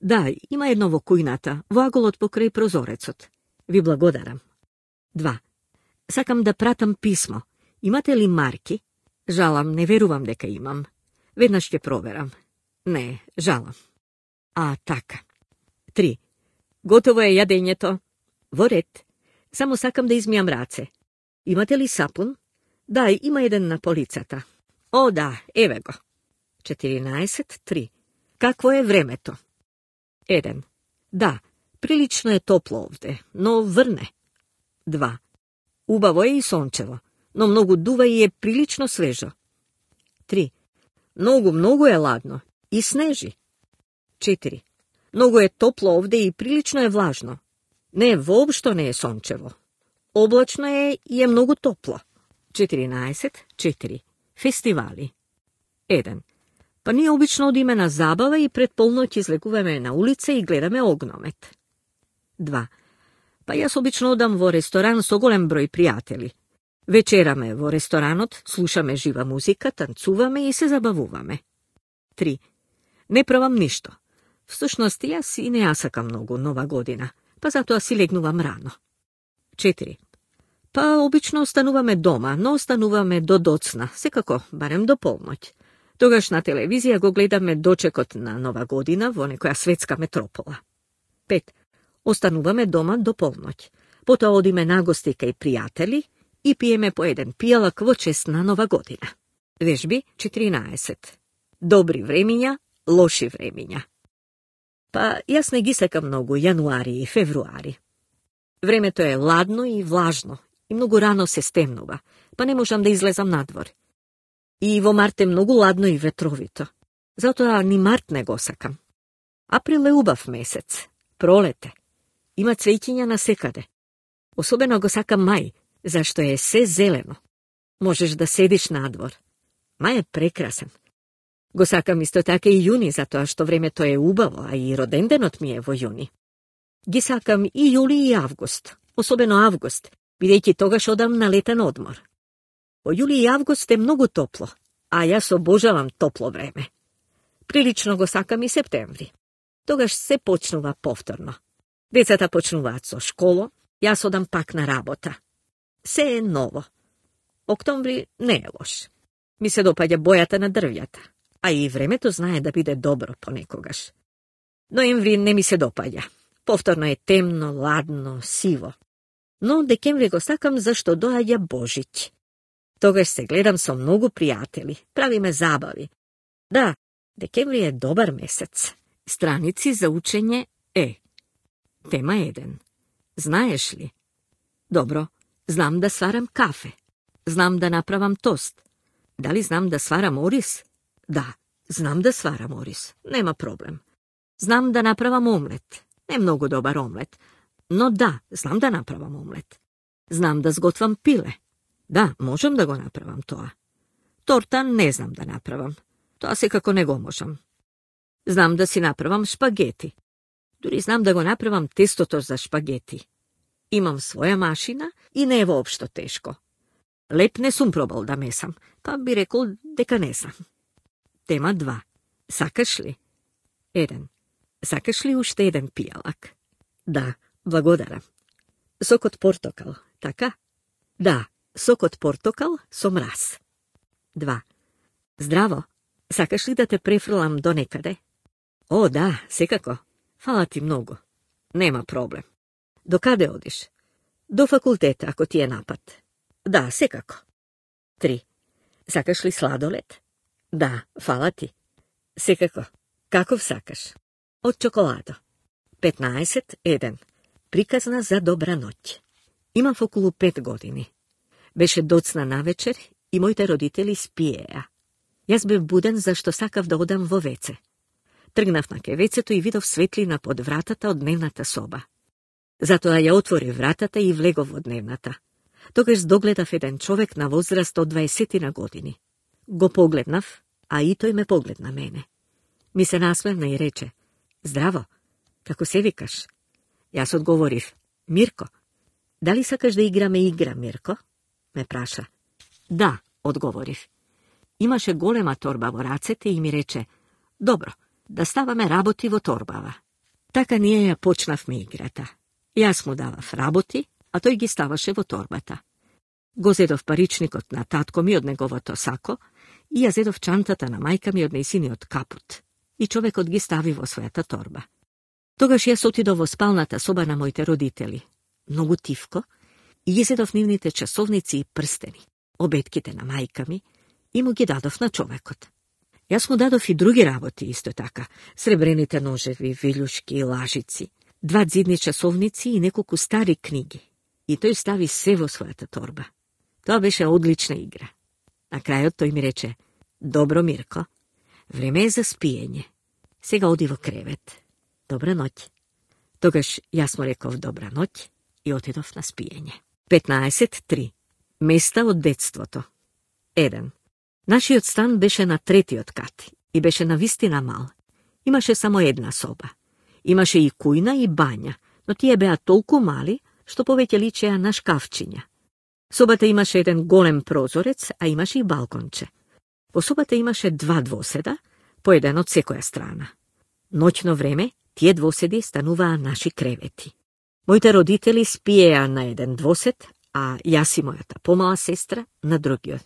Да, има едно во кујната, во аголот покрај прозорецот. Ви благодарам. два. Сакам да пратам писмо. Имате ли марки? Жалам, не верувам дека имам. Веднаш ќе проверам. Не, жалам. А, така. три. Готово е јадењето. Во ред. Само сакам да измијам раце. Имате ли сапун? Да, има еден на полицата. О, да, еве го. четиринаесет три. Какво е времето? еден. Да, прилично е топло овде, но врне. два. Убаво е и сончево, но многу дува и е прилично свежо. три. Многу, многу е ладно и снежи. четири. Многу е топло овде и прилично е влажно. Не, воопшто не е сончево. Облачно е и е многу топло. четиринаесет четири. Фестивали. еден. Па ние обично одиме на забава и пред полноќ излегуваме на улица и гледаме огномет. два. Па јас обично одам во ресторан со голем број пријатели. Вечераме во ресторанот, слушаме жива музика, танцуваме и се забавуваме. три. Не правам ништо. Всушност, јас и не ја сакам многу нова година, па затоа си легнувам рано. четири. Па обично остануваме дома, но остануваме до доцна, секако, барем до полноќ. Тогаш на телевизија го гледаме дочекот на нова година во некоја светска метропола. пет. Остануваме дома до полноќ. Потоа одиме на гости кај пријатели и пиеме по еден пијалак во чест на нова година. Вежби четиринаесет. Добри времиња, лоши времиња. Па јас не ги сакам многу јануари и февруари. Времето е ладно и влажно и многу рано се стемнува, па не можам да излезам надвор. И во март е многу ладно и ветровито. Затоа ни март не го сакам. Април е убав месец. Пролете. Има цвеќиња на секаде. Особено го сакам мај, зашто е се зелено. Можеш да седиш надвор. Мај е прекрасен. Го сакам исто така и јуни, затоа што времето е убаво, а и роденденот ми е во јуни. Ги сакам и јули и август, особено август, бидејќи тогаш одам на летен одмор. Во јули и август е многу топло, а јас обожавам топло време. Прилично го сакам и септември. Тогаш се почнува повторно. Децата почнуваат со школо, јас одам пак на работа. Се е ново. Октомври не е лош. Ми се допаѓа бојата на дрвјата, а и времето знае да биде добро понекогаш. Ноември не ми се допаѓа. Повторно е темно, ладно, сиво. Но декември го сакам зашто доаѓа Божиќ. Тогаш се гледам со многу пријатели, правиме забави. Да, декември е добар месец. Страници за учење е. Тема еден. Знаеш ли? Добро, знам да сварам кафе. Знам да направам тост. Дали знам да сварам орис? Да, знам да сварам орис. Нема проблем. Знам да направам омлет. Не многу добар омлет. Но да, знам да направам омлет. Знам да сготвам пиле. Да, можам да го направам тоа. Торта не знам да направам. Тоа секако не го можам. Знам да си направам шпагети. Дури знам да го направам тестото за шпагети. Имам своја машина и не е воопшто тешко. Леп не сум пробал да месам, па би рекол дека не сам. Тема два. Сакаш ли? еден. Сакаш ли уште еден пијалак? Да, благодарам. Сок од портокал, така? Да, сок од портокал со мраз. два. Здраво, сакаш ли да те префрлам до некаде? О, да, секако. Фала ти многу. Нема проблем. До каде одиш? До факултета, ако ти е напад. Да, секако. три. Сакаш ли сладолед? Да, фала ти. Секако. Каков сакаш? Од чоколадо. петнаесет еден. Приказна за добра ноќ. Имав околу пет години. Беше доцна навечер и моите родители спиеа. Јас бев буден зашто сакав да одам во веце. Тргнав на кевецето и видов светлина под вратата од дневната соба. Затоа ја отвори вратата и влегов во дневната. Тогаш догледав еден човек на возраст од дваесет години. Го погледнав, а и тој ме погледна мене. Ми се насмевна и рече: Здраво, како се викаш? Јас одговорив: Мирко. Дали сакаш да играме игра, Мирко? Ме праша. Да, одговорив. Имаше голема торба во рацете и ми рече: Добро, да ставаме работи во торбава. Така ние ја почнавме играта. Јас му давав работи, а тој ги ставаше во торбата. Го зедов паричникот на татко ми од неговото сако и ја зедов чантата на мајка ми од нејсиниот капут. И човекот ги стави во својата торба. Тогаш јас отидов во спалната соба на моите родители. многу тивко, и ги зедов нивните часовници и прстени, обетките на мајка ми, и му ги дадов на човекот. Јас му дадов и други работи исто така, сребрените ножеви, вилјушки и лажици, два дзидни часовници и неколку стари книги. И тој стави се во својата торба. Тоа беше одлична игра. На крајот тој ми рече: "Добро, Мирко, време е за спиење. Сега оди во кревет. Добра ноќ." Тогаш јас му реков добра ноќ и отидов на спиење. петнаесет три. Места од детството. еден. Нашиот стан беше на третиот кат и беше навистина мал. Имаше само една соба. Имаше и кујна и бања, но тие беа толку мали, што повеќе личеа на шкафчиња. Собата имаше еден голем прозорец, а имаше и балконче. Во собата имаше два двоседа, по еден од секоја страна. Ноќно време, тие двоседи стануваа наши кревети. Моите родители спиеа на еден двосед, а јас и мојата помала сестра на другиот.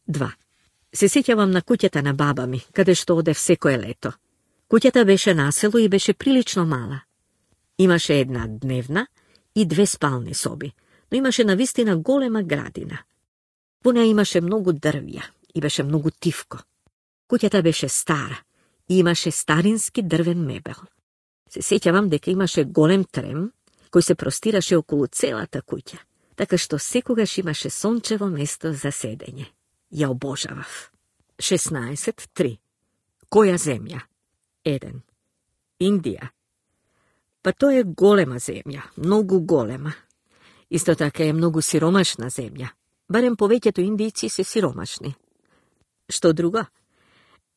два. Се сеќавам на куќата на баба ми, каде што одев секое лето. Куќата беше на село и беше прилично мала. Имаше една дневна и две спални соби, но имаше навистина голема градина. Во неа имаше многу дрвја и беше многу тивко. Куќата беше стара и имаше старински дрвен мебел. Се сеќавам дека имаше голем трем, кој се простираше околу целата куќа, така што секогаш имаше сончево место за седење. Ја обожавав. шеснаесет три. Која земја? еден. Индија. Па тоа е голема земја, многу голема. Исто така е многу сиромашна земја. Барем повеќето индијци се сиромашни. Што друго?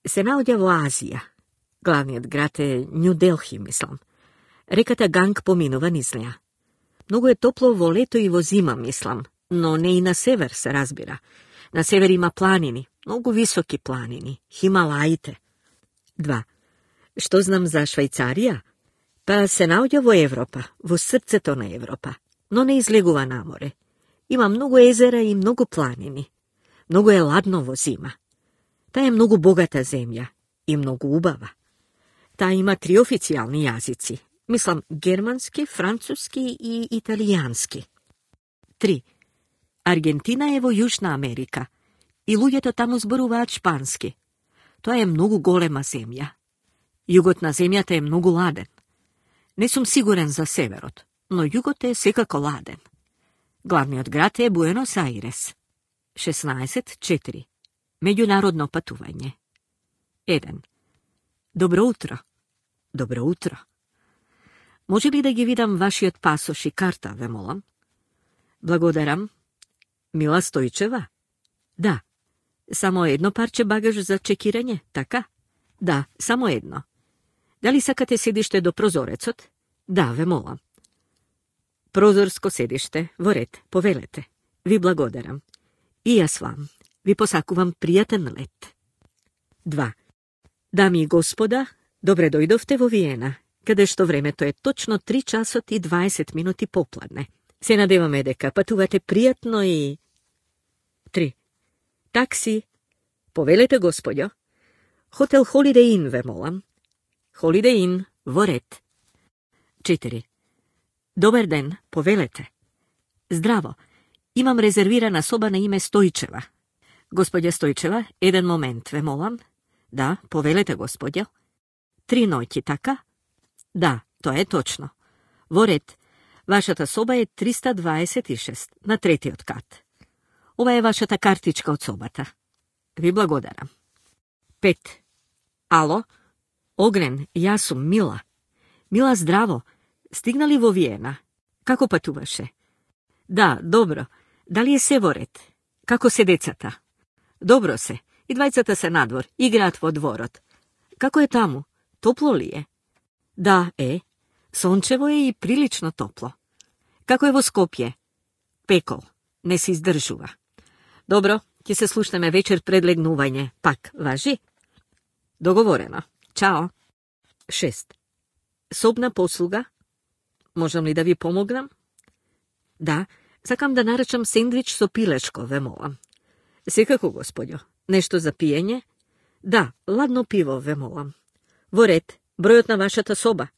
Се наоѓа во Азија. Главниот град е Њу Делхи, мислам. Реката Ганг поминува низ неа. Многу е топло во лето и во зима, мислам, но не и на север, се разбира. На север има планини, многу високи планини, Хималаите. два. Што знам за Швајцарија? Па се наоѓа во Европа, во срцето на Европа, но не излегува на море. Има многу езера и многу планини. Многу е ладно во зима. Таа е многу богата земја и многу убава. Таа има три официјални јазици. Мислам, германски, француски и италијански. три. Аргентина е во Јужна Америка и луѓето таму зборуваат шпански. Тоа е многу голема земја. Југот на земјата е многу ладен. Не сум сигурен за северот, но југот е секако ладен. Главниот град е Буенос Аирес. шеснаесет четири. Меѓународно патување. еден. Добро утро. Добро утро. Може ли да ги видам вашиот пасош и карта, ве молам? Благодарам. Мила Стојчева? Да. Само едно парче багаж за чекирање, така? Да, само едно. Дали сакате седиште до прозорецот? Да, ве молам. Прозорско седиште, во ред, повелете. Ви благодарам. И јас вам. Ви посакувам пријатен лет. два. Дами и господа, добре дојдовте во Виена, каде што времето е точно три часот и дваесет минути попладне. Се надеваме дека патувате пријатно и... три. Такси. Повелете, господјо. Хотел Holiday Inn, ве молам. Holiday Inn, во ред. четири. Добар ден, повелете. Здраво. Имам резервирана соба на име Стојчева. Господја Стојчева, еден момент, ве молам. Да, повелете, господјо. Три ноќи, така? Да, тоа е точно. Во ред. Вашата соба е триста дваесет и шест, на третиот кат. Ова е вашата картичка од собата. Ви благодарам. пет. Ало? Огнен, јас сум Мила. Мила, здраво. Стигнали во Виена? Како патуваше? Да, добро. Дали е се во ред? Како се децата? Добро се. И двајцата се надвор, играат во дворот. Како е таму? Топло ли е? Да, е. Сончево е и прилично топло. Како е во Скопје? Пекол. Не се издржува. Добро, ќе се слушнеме вечер пред легнување. Пак, важи? Договорено. Чао. шест. Собна послуга? Можам ли да ви помогнам? Да, сакам да наречам сендвич со пилешко, ве молам. Секако, господјо. Нешто за пиење? Да, ладно пиво, ве молам. Во ред, бројот на вашата соба?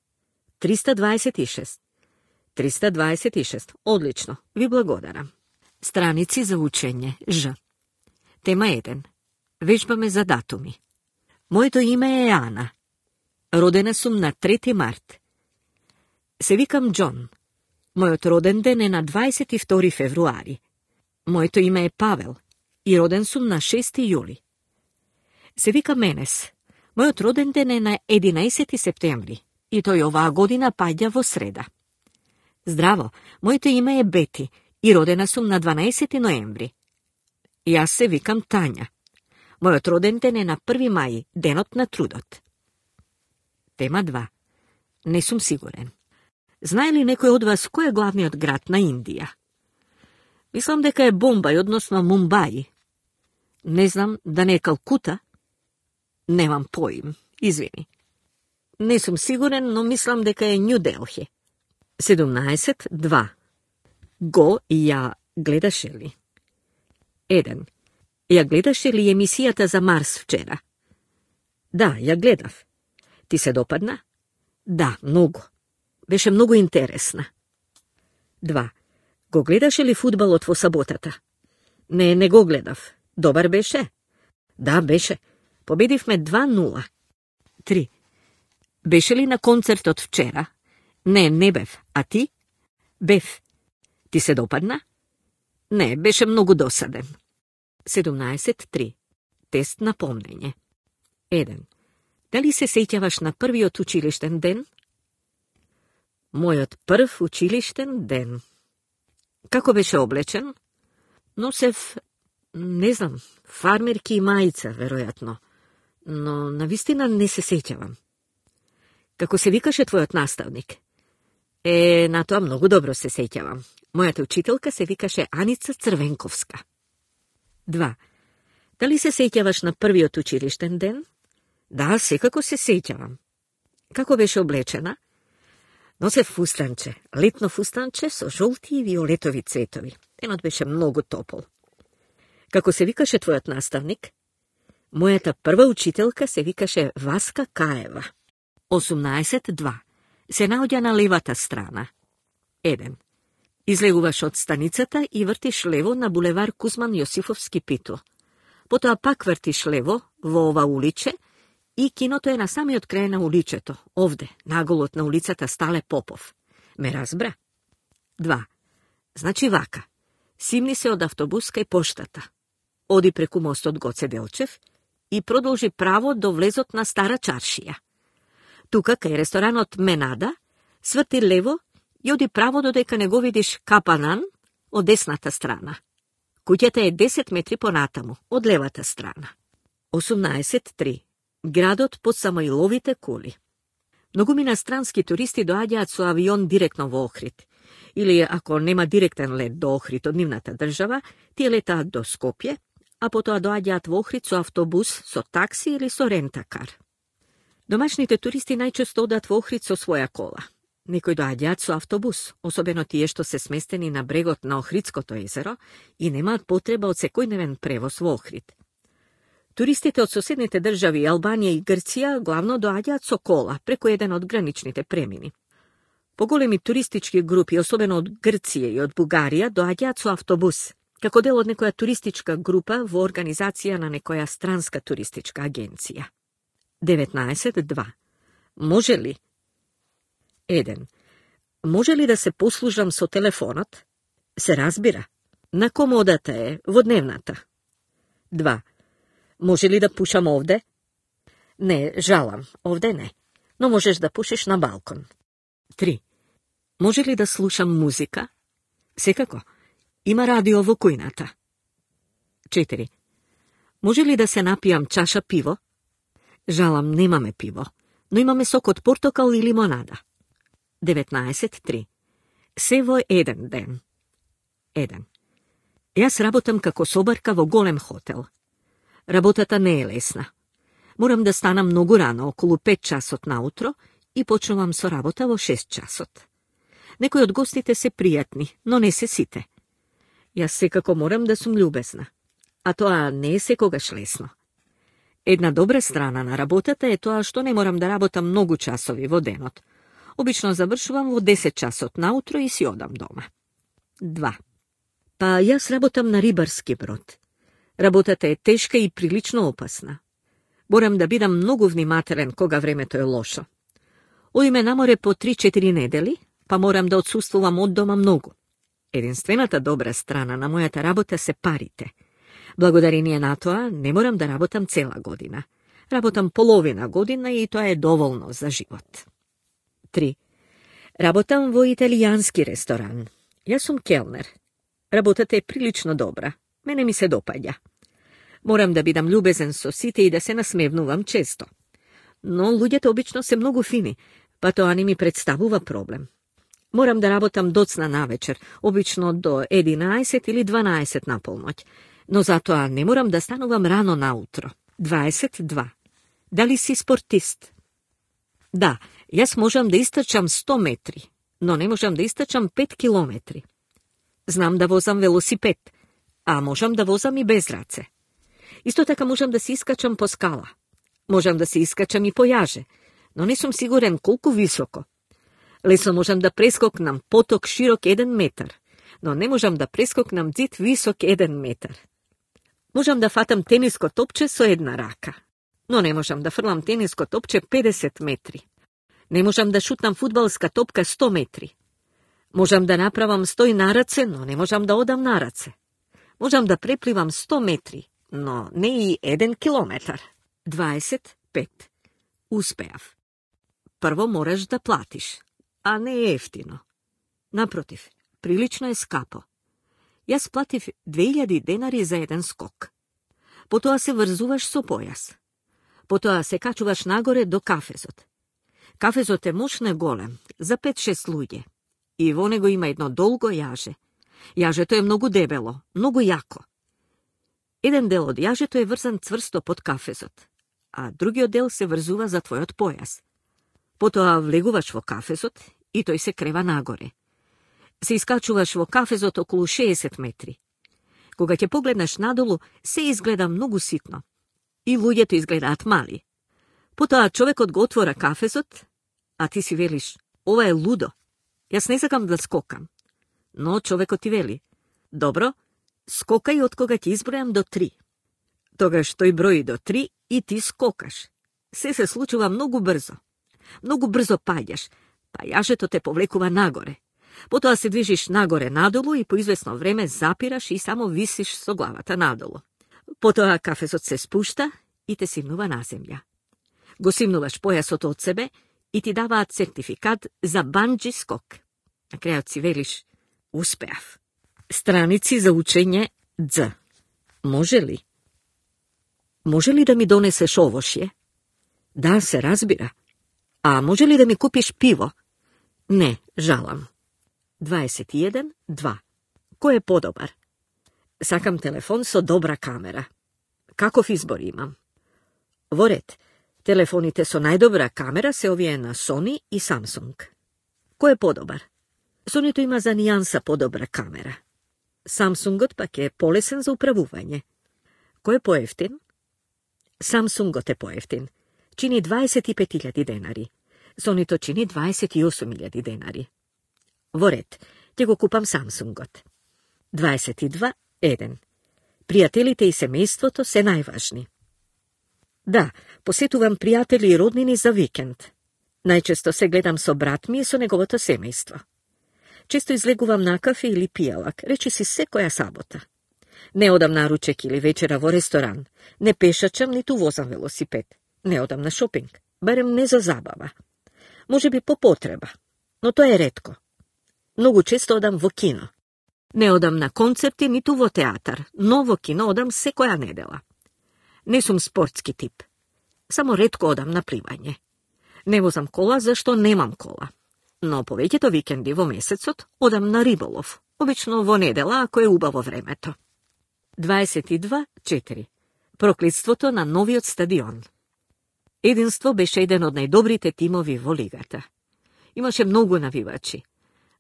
триста дваесет и шест. триста дваесет и шест. Одлично, ви благодарам. Страници за учење, Ж. Тема еден. Вежбаме за датуми. Моето име е Ана. Родена сум на трети март. Се викам Џон. Мојот роден ден е на дваесет и втори февруари. Моето име е Павел и роден сум на шести јули. Се викам Енес. Мојот роден ден е на единаесети септември и тој оваа година паѓа во среда. Здраво, моето име е Бети и родена сум на дванаесети ноември. Јас се викам Тања. Мојот роден ден е на први мај, денот на трудот. Тема два. Не сум сигурен. Знае ли некој од вас кој е главниот град на Индија? Мислам дека е Бомбај, односно Мумбај. Не знам, да не е Калкута? Немам поим, извини. Не сум сигурен, но мислам дека е Њу Делхи. седумнаесет два. Го и ја гледаше ли? еден. Ја гледаше ли емисијата за Марс вчера? Да, ја гледав. Ти се допадна? Да, многу. Беше многу интересна. два. Го гледаше ли фудбалот во саботата? Не, не го гледав. Добар беше? Да, беше. Победивме два нула. три. Беше ли на концертот вчера? Не, не бев. А ти? Бев. Ти се допадна? Не, беше многу досаден. седумнаесет три. Тест на помнење. еден. Дали се сеќаваш на првиот училиштен ден? Мојот прв училиштен ден. Како беше облечен? Носев, не знам, фармерки и мајца, веројатно. Но навистина не се сеќавам. Како се викаше твојот наставник? Е, на тоа многу добро се сеќавам. Мојата учителка се викаше Аница Црвенковска. два. Дали се сеќаваш на првиот училиштен ден? Да, секако се сеќавам. Како беше облечена? Носев фустанче, летно фустанче со жолти и виолетови цветови. Денот беше многу топол. Како се викаше твојот наставник? Мојата прва учителка се викаше Васка Каева. осумнаесет два. Се наоѓа на левата страна. еден. Излегуваш од станицата и вртиш лево на булевар Кузман Јосифовски Пито. Потоа пак вртиш лево во ова уличе и киното е на самиот крај на уличето, овде, наголот на улицата Стале Попов. Ме разбра? два. Значи вака. Симни се од автобус кај поштата. Оди преку мостот Гоце Делчев и продолжи право до влезот на Стара Чаршија. Тука, кај ресторанот Менада, сврти лево и оди право додека не го видиш Капанан од десната страна. Куќата е десет метри понатаму, од левата страна. осумнаесет три. Градот под Самоиловите кули. Многу инострански туристи доаѓаат со авион директно во Охрид. Или, ако нема директен лет до Охрид од нивната држава, тие летаат до Скопје, а потоа доаѓаат во Охрид со автобус, со такси или со рентакар. Домашните туристи најчесто одат во Охрид со своја кола. Некои доаѓаат со автобус, особено тие што се сместени на брегот на Охридското езеро и немаат потреба од секојдневен превоз во Охрид. Туристите од соседните држави Албанија и Грција главно доаѓаат со кола преку еден од граничните премини. Поголеми туристички групи, особено од Грција и од Бугарија, доаѓаат со автобус, како дел од некоја туристичка група во организација на некоја странска туристичка агенција. деветнаесет два. Може ли? еден. Може ли да се послужам со телефонот? Се разбира. На комодата е, во дневната. два. Може ли да пушам овде? Не, жалам, овде не. Но можеш да пушиш на балкон. три. Може ли да слушам музика? Секако. Има радио во кујната. четири. Може ли да се напијам чаша пиво? Жалам, немаме пиво, но имаме сок од портокал и лимонада. деветнаесет три. Се во еден ден. еден. Јас работам како собарка во голем хотел. Работата не е лесна. Морам да станам многу рано, околу пет часот наутро, и почнувам со работа во шест часот. Некои од гостите се пријатни, но не се сите. Јас секако морам да сум љубезна, а тоа не е секогаш лесно. Една добра страна на работата е тоа што не морам да работам многу часови во денот. Обично завршувам во десет часот наутро и си одам дома. два. Па јас работам на рибарски брод. Работата е тешка и прилично опасна. Морам да бидам многу внимателен кога времето е лошо. Одиме на море по три-четири недели, па морам да отсуствувам од дома многу. Единствената добра страна на мојата работа се парите. Благодарение на тоа не морам да работам цела година. Работам половина година и тоа е доволно за живот. три. Работам во италијански ресторан. Јас сум келнер. Работата е прилично добра. Мене ми се допаѓа. Морам да бидам љубезен со сите и да се насмевнувам често. Но луѓето обично се многу фини, па тоа не ми представува проблем. Морам да работам доцна навечер, обично до единаесет или дванаесет на полноќ, но затоа не морам да станувам рано наутро. дваесет и два. Дали си спортист? Да, јас можам да истрчам сто метри, но не можам да истрчам пет километри. Знам да возам велосипед, а можам да возам и без раце. Исто така можам да се искачам по скала. Можам да се искачам и по јаже, но не сум сигурен колку високо. Лесно можам да прескокнам поток широк еден метар, но не можам да прескокнам зид висок еден метар. Можам да фатам тениско топче со една рака, но не можам да фрлам тениско топче педесет метри. Не можам да шутнам фудбалска топка сто метри. Можам да направам стој на раце, но не можам да одам на раце. Можам да препливам сто метри, но не и еден километар. дваесет и пет. Успеав. Прво мораш да платиш, а не е ефтино. Напротив, прилично е скапо. Јас платив две илјади денари за еден скок. Потоа се врзуваш со појас. Потоа се качуваш нагоре до кафезот. Кафезот е мощно голем, за пет-шест луѓе. И во него има едно долго јаже. Јажето е многу дебело, многу јако. Еден дел од јажето е врзан цврсто под кафезот, а другиот дел се врзува за твојот појас. Потоа влегуваш во кафезот и тој се крева нагоре. Се искачуваш во кафезот околу шеесет метри. Кога ќе погледнеш надолу, се изгледа многу ситно. И луѓето изгледаат мали. Потоа човекот го отвора кафезот, а ти си велиш, ова е лудо. Јас не сакам да скокам. Но човекот ти вели, добро, скокај од кога ќе избројам до три. Тогаш тој брои до три и ти скокаш. Се се случува многу брзо. Многу брзо паѓаш, па јажето те повлекува нагоре. Потоа се движиш нагоре надолу и по извесно време запираш и само висиш со главата надолу. Потоа кафезот се спушта и те симнува на земја. Го симнуваш појасот од себе и ти даваат сертификат за банджи скок. На крајот си велиш, успеав. Страници за учење Дз. Може ли? Може ли да ми донесеш овошје? Да, се разбира. А може ли да ми купиш пиво? Не, жалам. дваесет и еден два. Кој е подобар? Сакам телефон со добра камера. Каков избор имам? Во ред, телефоните со најдобра камера се овие на Sony и Samsung. Кој е подобар? Сонито има за нијанса подобра камера. Самсунгот пак е полесен за управување. Кој е поевтин? Самсунгот е поевтин. Чини дваесет и пет илјади денари. Сонито чини дваесет и осум илјади денари. Во ред, ќе го купам Самсунгот. дваесет и два еден. Пријателите и семејството се најважни. Да, посетувам пријатели и роднини за викенд. Најчесто се гледам со брат ми и со неговото семејство. Често излегувам на кафе или пијалак, речи си секоја сабота. Не одам на ручек или вечера во ресторан, не пешачам ниту возам велосипед, не одам на шопинг, барем не за забава. Може би по потреба, но тоа е ретко. Многу често одам во кино. Не одам на концерти ниту во театар, но во кино одам секоја недела. Не сум спортски тип. Само ретко одам на пливање. Не возам кола зашто немам кола. Но повеќето викенди во месецот одам на риболов, обично во недела ако е убаво времето. дваесет и два четири. Проклетството на новиот стадион. Единство беше еден од најдобрите тимови во лигата. Имаше многу навивачи,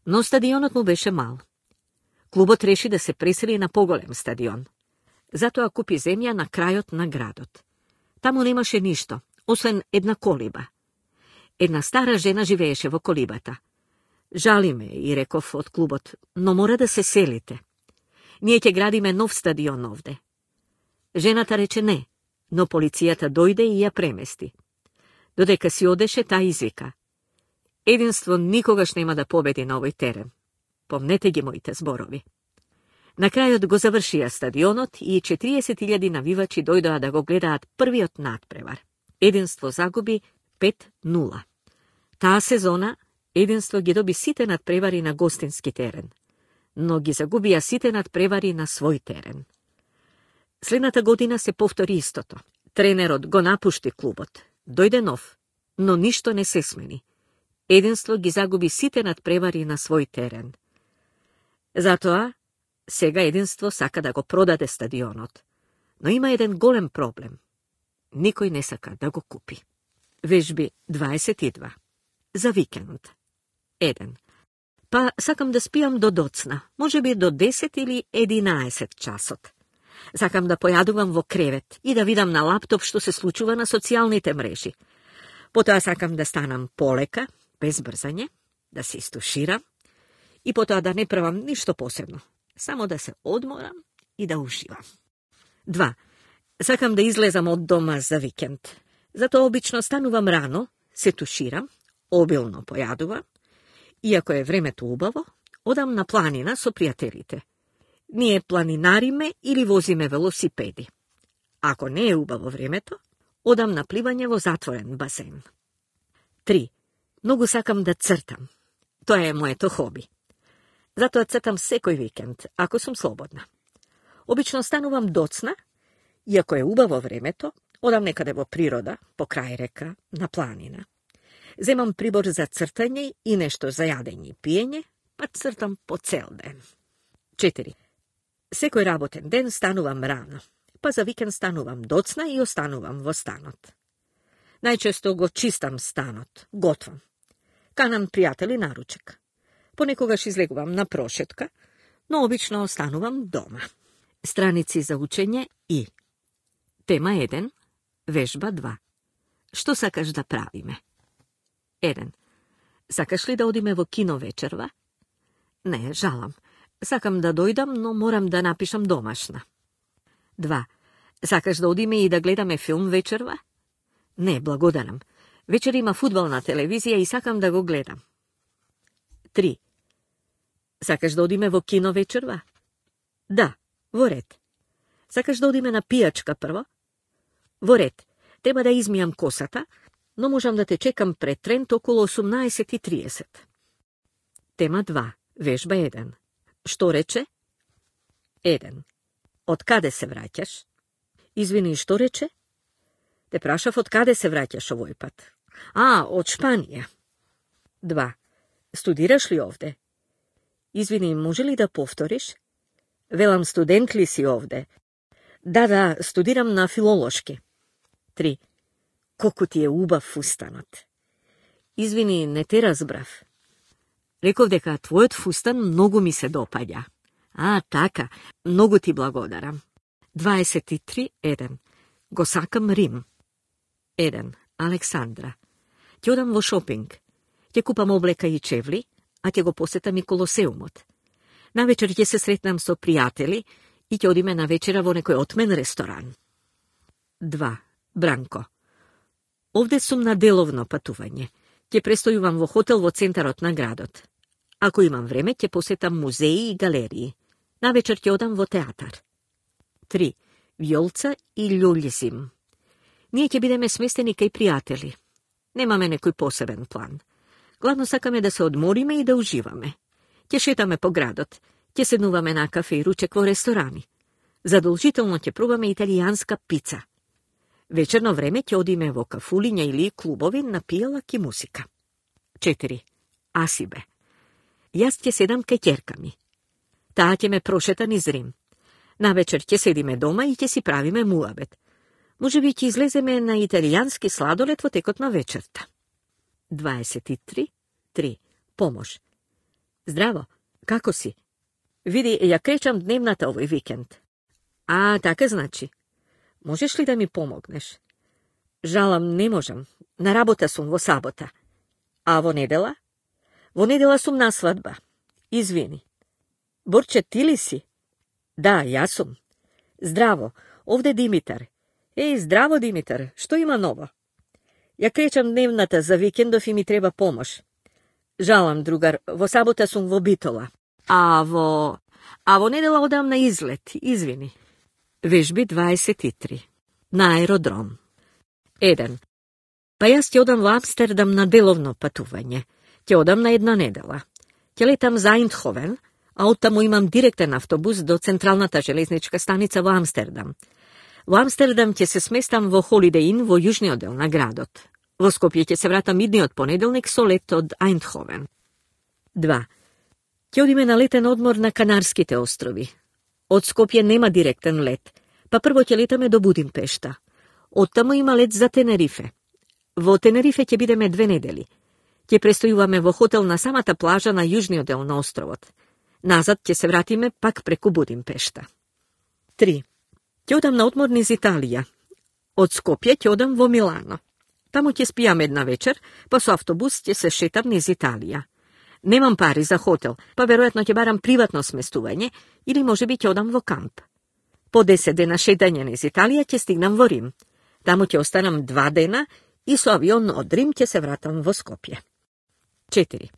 но стадионот му беше мал. Клубот реши да се пресели на поголем стадион. Затоа купи земја на крајот на градот. Таму немаше ништо, освен една колиба. Една стара жена живееше во колибата. Жали ме, и реков од клубот, но мора да се селите. Ние ќе градиме нов стадион овде. Жената рече не, но полицијата дојде и ја премести. Додека си одеше, таа извика: единство никогаш нема да победи на овој терен. Помнете ги моите зборови. На крајот го завршија стадионот и четириесет илјади навивачи дојдоа да го гледаат првиот надпревар. Единство загуби пет нула. Таа сезона Единство ги доби сите надпревари на гостински терен, но ги загубија сите надпревари на свој терен. Следната година се повтори истото. Тренерот го напушти клубот. Дојде нов, но ништо не се смени. Единство ги загуби сите надпревари на свој терен. Затоа, сега Единство сака да го продаде стадионот, но има еден голем проблем. Никој не сака да го купи. Вежби дваесет и два. За викенд. Еден. Па сакам да спијам до доцна, може би до десет или единаесет часот. Сакам да појадувам во кревет и да видам на лаптоп што се случува на социјалните мрежи. Потоа сакам да станам полека, без брзање, да се истуширам и потоа да не правам ништо посебно, само да се одморам и да уживам. Два. Сакам да излезам од дома за викенд. Затоа обично станувам рано, се туширам, обилно појадувам, и ако е времето убаво, одам на планина со пријателите. Ние планинариме или возиме велосипеди. Ако не е убаво времето, одам на пливање во затворен басен. Три. Многу сакам да цртам. Тоа е моето хоби. Затоа цртам секој викенд, ако сум слободна. Обично станувам доцна, и ако е убаво времето, одам некаде во природа, по крај река, на планина. Земам прибор за цртање и нешто за јадење и пиење, па цртам по цел ден. Четири. Секој работен ден станувам рано, па за викенд станувам доцна и останувам во станот. Најчесто го чистам станот, готвам. Канам пријатели на ручек. Понекогаш излегувам на прошетка, но обично останувам дома. Страници за учење и Тема еден, вежба два. Што сакаш да правиме? Еден. Сакаш ли да одиме во кино вечерва? Не, жалам. Сакам да дојдам, но морам да напишам домашна. Два. Сакаш да одиме и да гледаме филм вечерва? Не, благодарам. Вечер има фудбал на телевизија и сакам да го гледам. Три. Сакаш да одиме во кино вечерва? Да, во ред. Сакаш да одиме на пијачка прво? Во ред. Треба да измијам косата, но можам да те чекам пред Трент околу осумнаесет и триесет. Тема два. Вежба еден. Што рече? Еден. Од каде се враќаш? Извини, што рече? Те прашав од каде се враќаш овој пат. А, од Шпанија. Два. Студираш ли овде? Извини, може ли да повториш? Велам, студент ли си овде? Да, да, студирам на филолошки. Три. Колку ти е убав фустанот. Извини, не те разбрав. Реков дека твојот фустан многу ми се допаѓа. А, така, многу ти благодарам. дваесет и три еден. Го сакам Рим. Еден. Александра. Ќе одам во шопинг. Ќе купам облека и чевли, а ќе го посетам и Колосеумот. Навечер ќе се сретнам со пријатели и ќе одиме на вечера во некој отмен ресторан. Два. Бранко. Овде сум на деловно патување. Ќе престојувам во хотел во центарот на градот. Ако имам време, ќе посетам музеи и галерии. Навечер ќе одам во театар. Три. Вјолца и љулјзим. Ние ќе бидеме сместени кај пријатели. Немаме некој посебен план. Главно сакаме да се одмориме и да уживаме. Ќе шетаме по градот, ќе седнуваме на кафе и ручек во ресторани. Задолжително ќе пробаме италијанска пица. Вечерно време ќе одиме во кафулиња или клубови на пијалак и музика. Четири. Асибе. Јас ќе седам кај ќерка ми. Таа ќе ме прошета низ Рим. Навечер ќе седиме дома и ќе си правиме муабет. Може би ќе излеземе на италијански сладолед во текот на вечерта. дваесет и три три. Помош. Здраво, како си? Види, ја кречам дневната овој викенд. А, така значи. Можеш ли да ми помогнеш? Жалам, не можам. На работа сум во сабота. А во недела? Во недела сум на свадба. Извини. Борче, ти ли си? Да, јас сум. Здраво, овде Димитар. Еј, здраво, Димитар, што има ново? Ја кречам дневната за викендов и ми треба помош. Жалам, другар, во сабота сум во Битола. А во... А во недела одам на излет, извини. Вежби дваесет и три. На аеродром. Еден. Па јас ќе одам во Амстердам на деловно патување. Ќе одам на една недела. Ќе летам за Айндховен, а оттаму имам директен автобус до централната железничка станица во Амстердам. Во Амстердам ќе се сместам во Holiday Inn во јужниот дел на градот. Во Скопје ќе се вратам идниот понеделник со лет од Айндховен. Два. Ќе одиме на летен одмор на Канарските острови. Од Скопје нема директен лет, па прво ќе летаме до Будимпешта. Оттаму има лет за Тенерифе. Во Тенерифе ќе бидеме две недели. Ќе престојуваме во хотел на самата плажа на јужниот дел на островот. Назад ќе се вратиме пак преку Будимпешта. Три. Ќе одам на одмор низ Италија. Од Скопје ќе одам во Милано. Таму ќе спијам една вечер, па со автобус ќе се шетам низ Италија. Немам пари за хотел, па веројатно ќе барам приватно сместување или можеби ќе одам во камп. По десет дена шетање низ Италија ќе стигнам во Рим. Таму ќе останам два дена и со авион од Рим ќе се вратам во Скопје. Четири.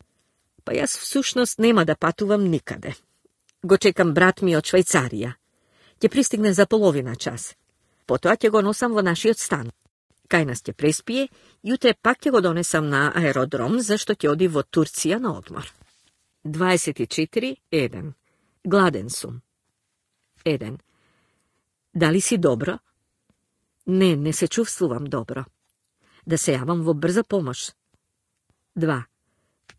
Па јас всушност нема да патувам никаде. Го чекам брат ми од Швајцарија. Ќе пристигне за половина час. Потоа ќе го носам во нашиот стан. Кај нас ќе преспие, јутре пак ќе го донесам на аеродром, зашто ќе оди во Турција на одмор. дваесет и четири еден. Гладен сум. Еден. Дали си добро? Не, не се чувствувам добро. Да се јавам во брза помош. Два.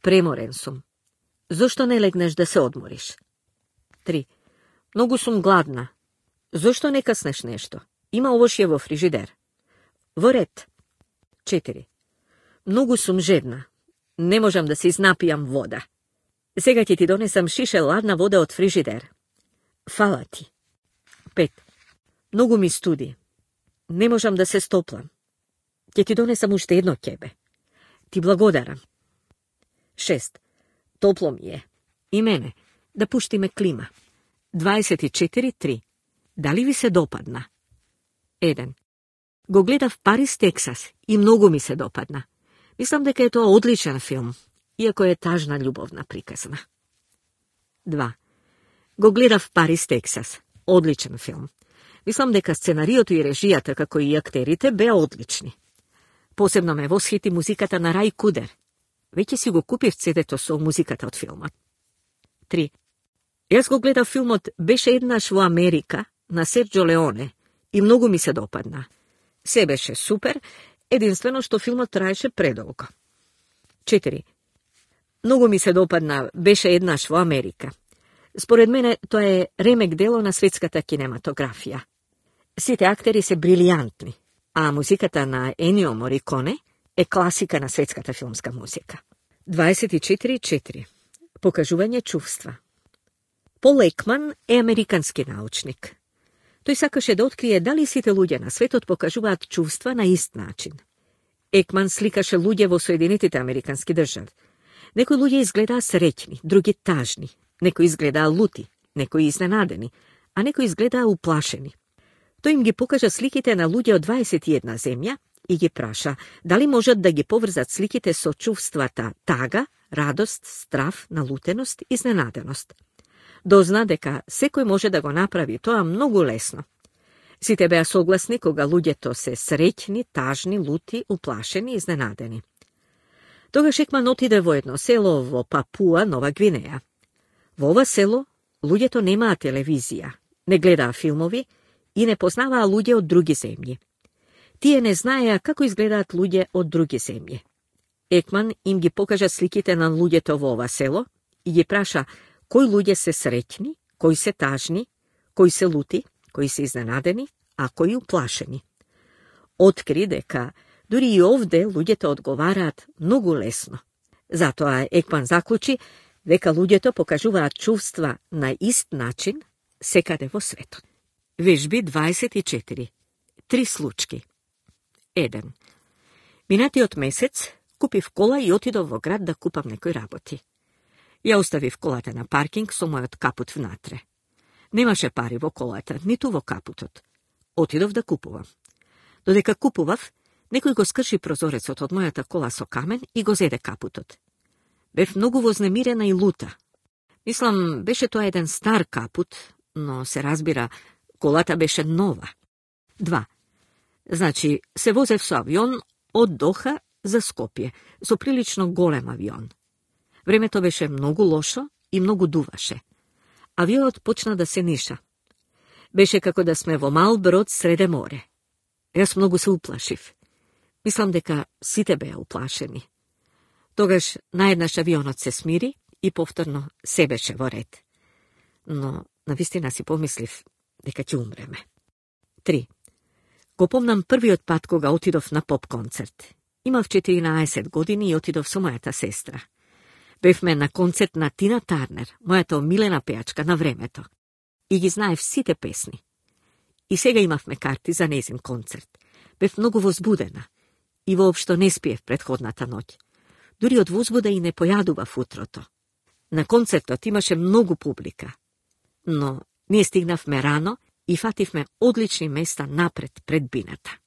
Преморен сум. Зошто не легнеш да се одмориш? Три. Многу сум гладна. Зошто не каснеш нешто? Има овошје во фрижидер. Во ред. Четири. Многу сум жедна. Не можам да си напијам вода. Сега ќе ти донесам шише ладна вода од фрижидер. Фала ти. Пет. Многу ми студи. Не можам да се стоплам. Ќе ти донесам уште едно ќебе. Ти благодарам. Шест. Топло ми е. И мене. Да пуштиме клима. дваесет и четири три. Дали ви се допадна? Еден. Го гледав Парис, Тексас и многу ми се допадна. Мислам дека е тоа одличен филм, иако е тажна љубовна приказна. Два. Го гледав Парис, Тексас. Одличен филм. Мислам дека сценариото и режијата, како и актерите, беа одлични. Посебно ме восхити музиката на Рај Кудер. Веќе си го купив цедето со музиката од филмот. Три. Јас го гледав филмот Беше еднаш во Америка на Серджо Леоне и многу ми се допадна. Се беше супер, единствено што филмот траеше предолго. Четири. Многу ми се допадна Беше еднаш во Америка. Според мене тоа е ремек дело на светската кинематографија. Сите актери се брилијантни, а музиката на Енио Мориконе е класика на светската филмска музика. дваесет и четири четири. Покажување чувства. Пол Екман е американски научник. Тој сакаше да открие дали сите луѓе на светот покажуваат чувства на ист начин. Екман сликаше луѓе во Соединетите американски држави. Некои луѓе изгледаа среќни, други тажни, некои изгледаа лути, некои изненадени, а некои изгледаа уплашени. Тој им ги покажа сликите на луѓе од дваесет и една земја и ги праша дали можат да ги поврзат сликите со чувствата тага, радост, страв, налутеност, изненаденост. Дозна дека секој може да го направи тоа многу лесно. Сите беа согласни кога луѓето се среќни, тажни, лути, уплашени, изненадени. Тогаш Екман отиде во едно село во Папуа, Нова Гвинеја. Во ова село луѓето немаа телевизија, не гледаа филмови и не познаваа луѓе од други земји. Тие не знаеа како изгледаат луѓе од други земји. Екман им ги покажа сликите на луѓето во ова село и ги праша кои луѓе се среќни, кои се тажни, кои се лути, кои се изненадени, а кои уплашени. Откри дека дури и овде луѓето одговараат многу лесно. Затоа Екман заклучи дека луѓето покажуваат чувства на ист начин секаде во светот. Вежби дваесет и четири. Три случки. Еден. Минатиот месец, Купив кола и отидов во град да купам некои работи. Ја оставив колата на паркинг со мојот капут внатре. Немаше пари во колата, ниту во капутот. Отидов да купувам. Додека купував, некој го скрши прозорецот од мојата кола со камен и го зеде капутот. Бев многу вознемирена и лута. Мислам, беше тоа еден стар капут, но се разбира, колата беше нова. Два. Значи, се возев со авион од Доха за Скопје, со прилично голем авион. Времето беше многу лошо и многу дуваше. Авионот почна да се ниша. Беше како да сме во мал брод среде море. Јас многу се уплашив. Мислам дека сите беа уплашени. Тогаш наеднаш авионот се смири и повторно се беше во ред. Но навистина си помислив дека ќе умреме. Три. Го помнам првиот пат кога отидов на поп концерт. Имав четиринаесет години и отидов со мојата сестра. Бевме на концерт на Тина Тарнер, мојата омилена пејачка на времето. И ги знаев сите песни. И сега имавме карти за незин концерт. Бев многу возбудена. И воопшто не спиев предходната ноќ. Дури од возбуда и не појадував утрото. На концертот имаше многу публика. Но ние стигнавме рано и фативме одлични места напред пред бината.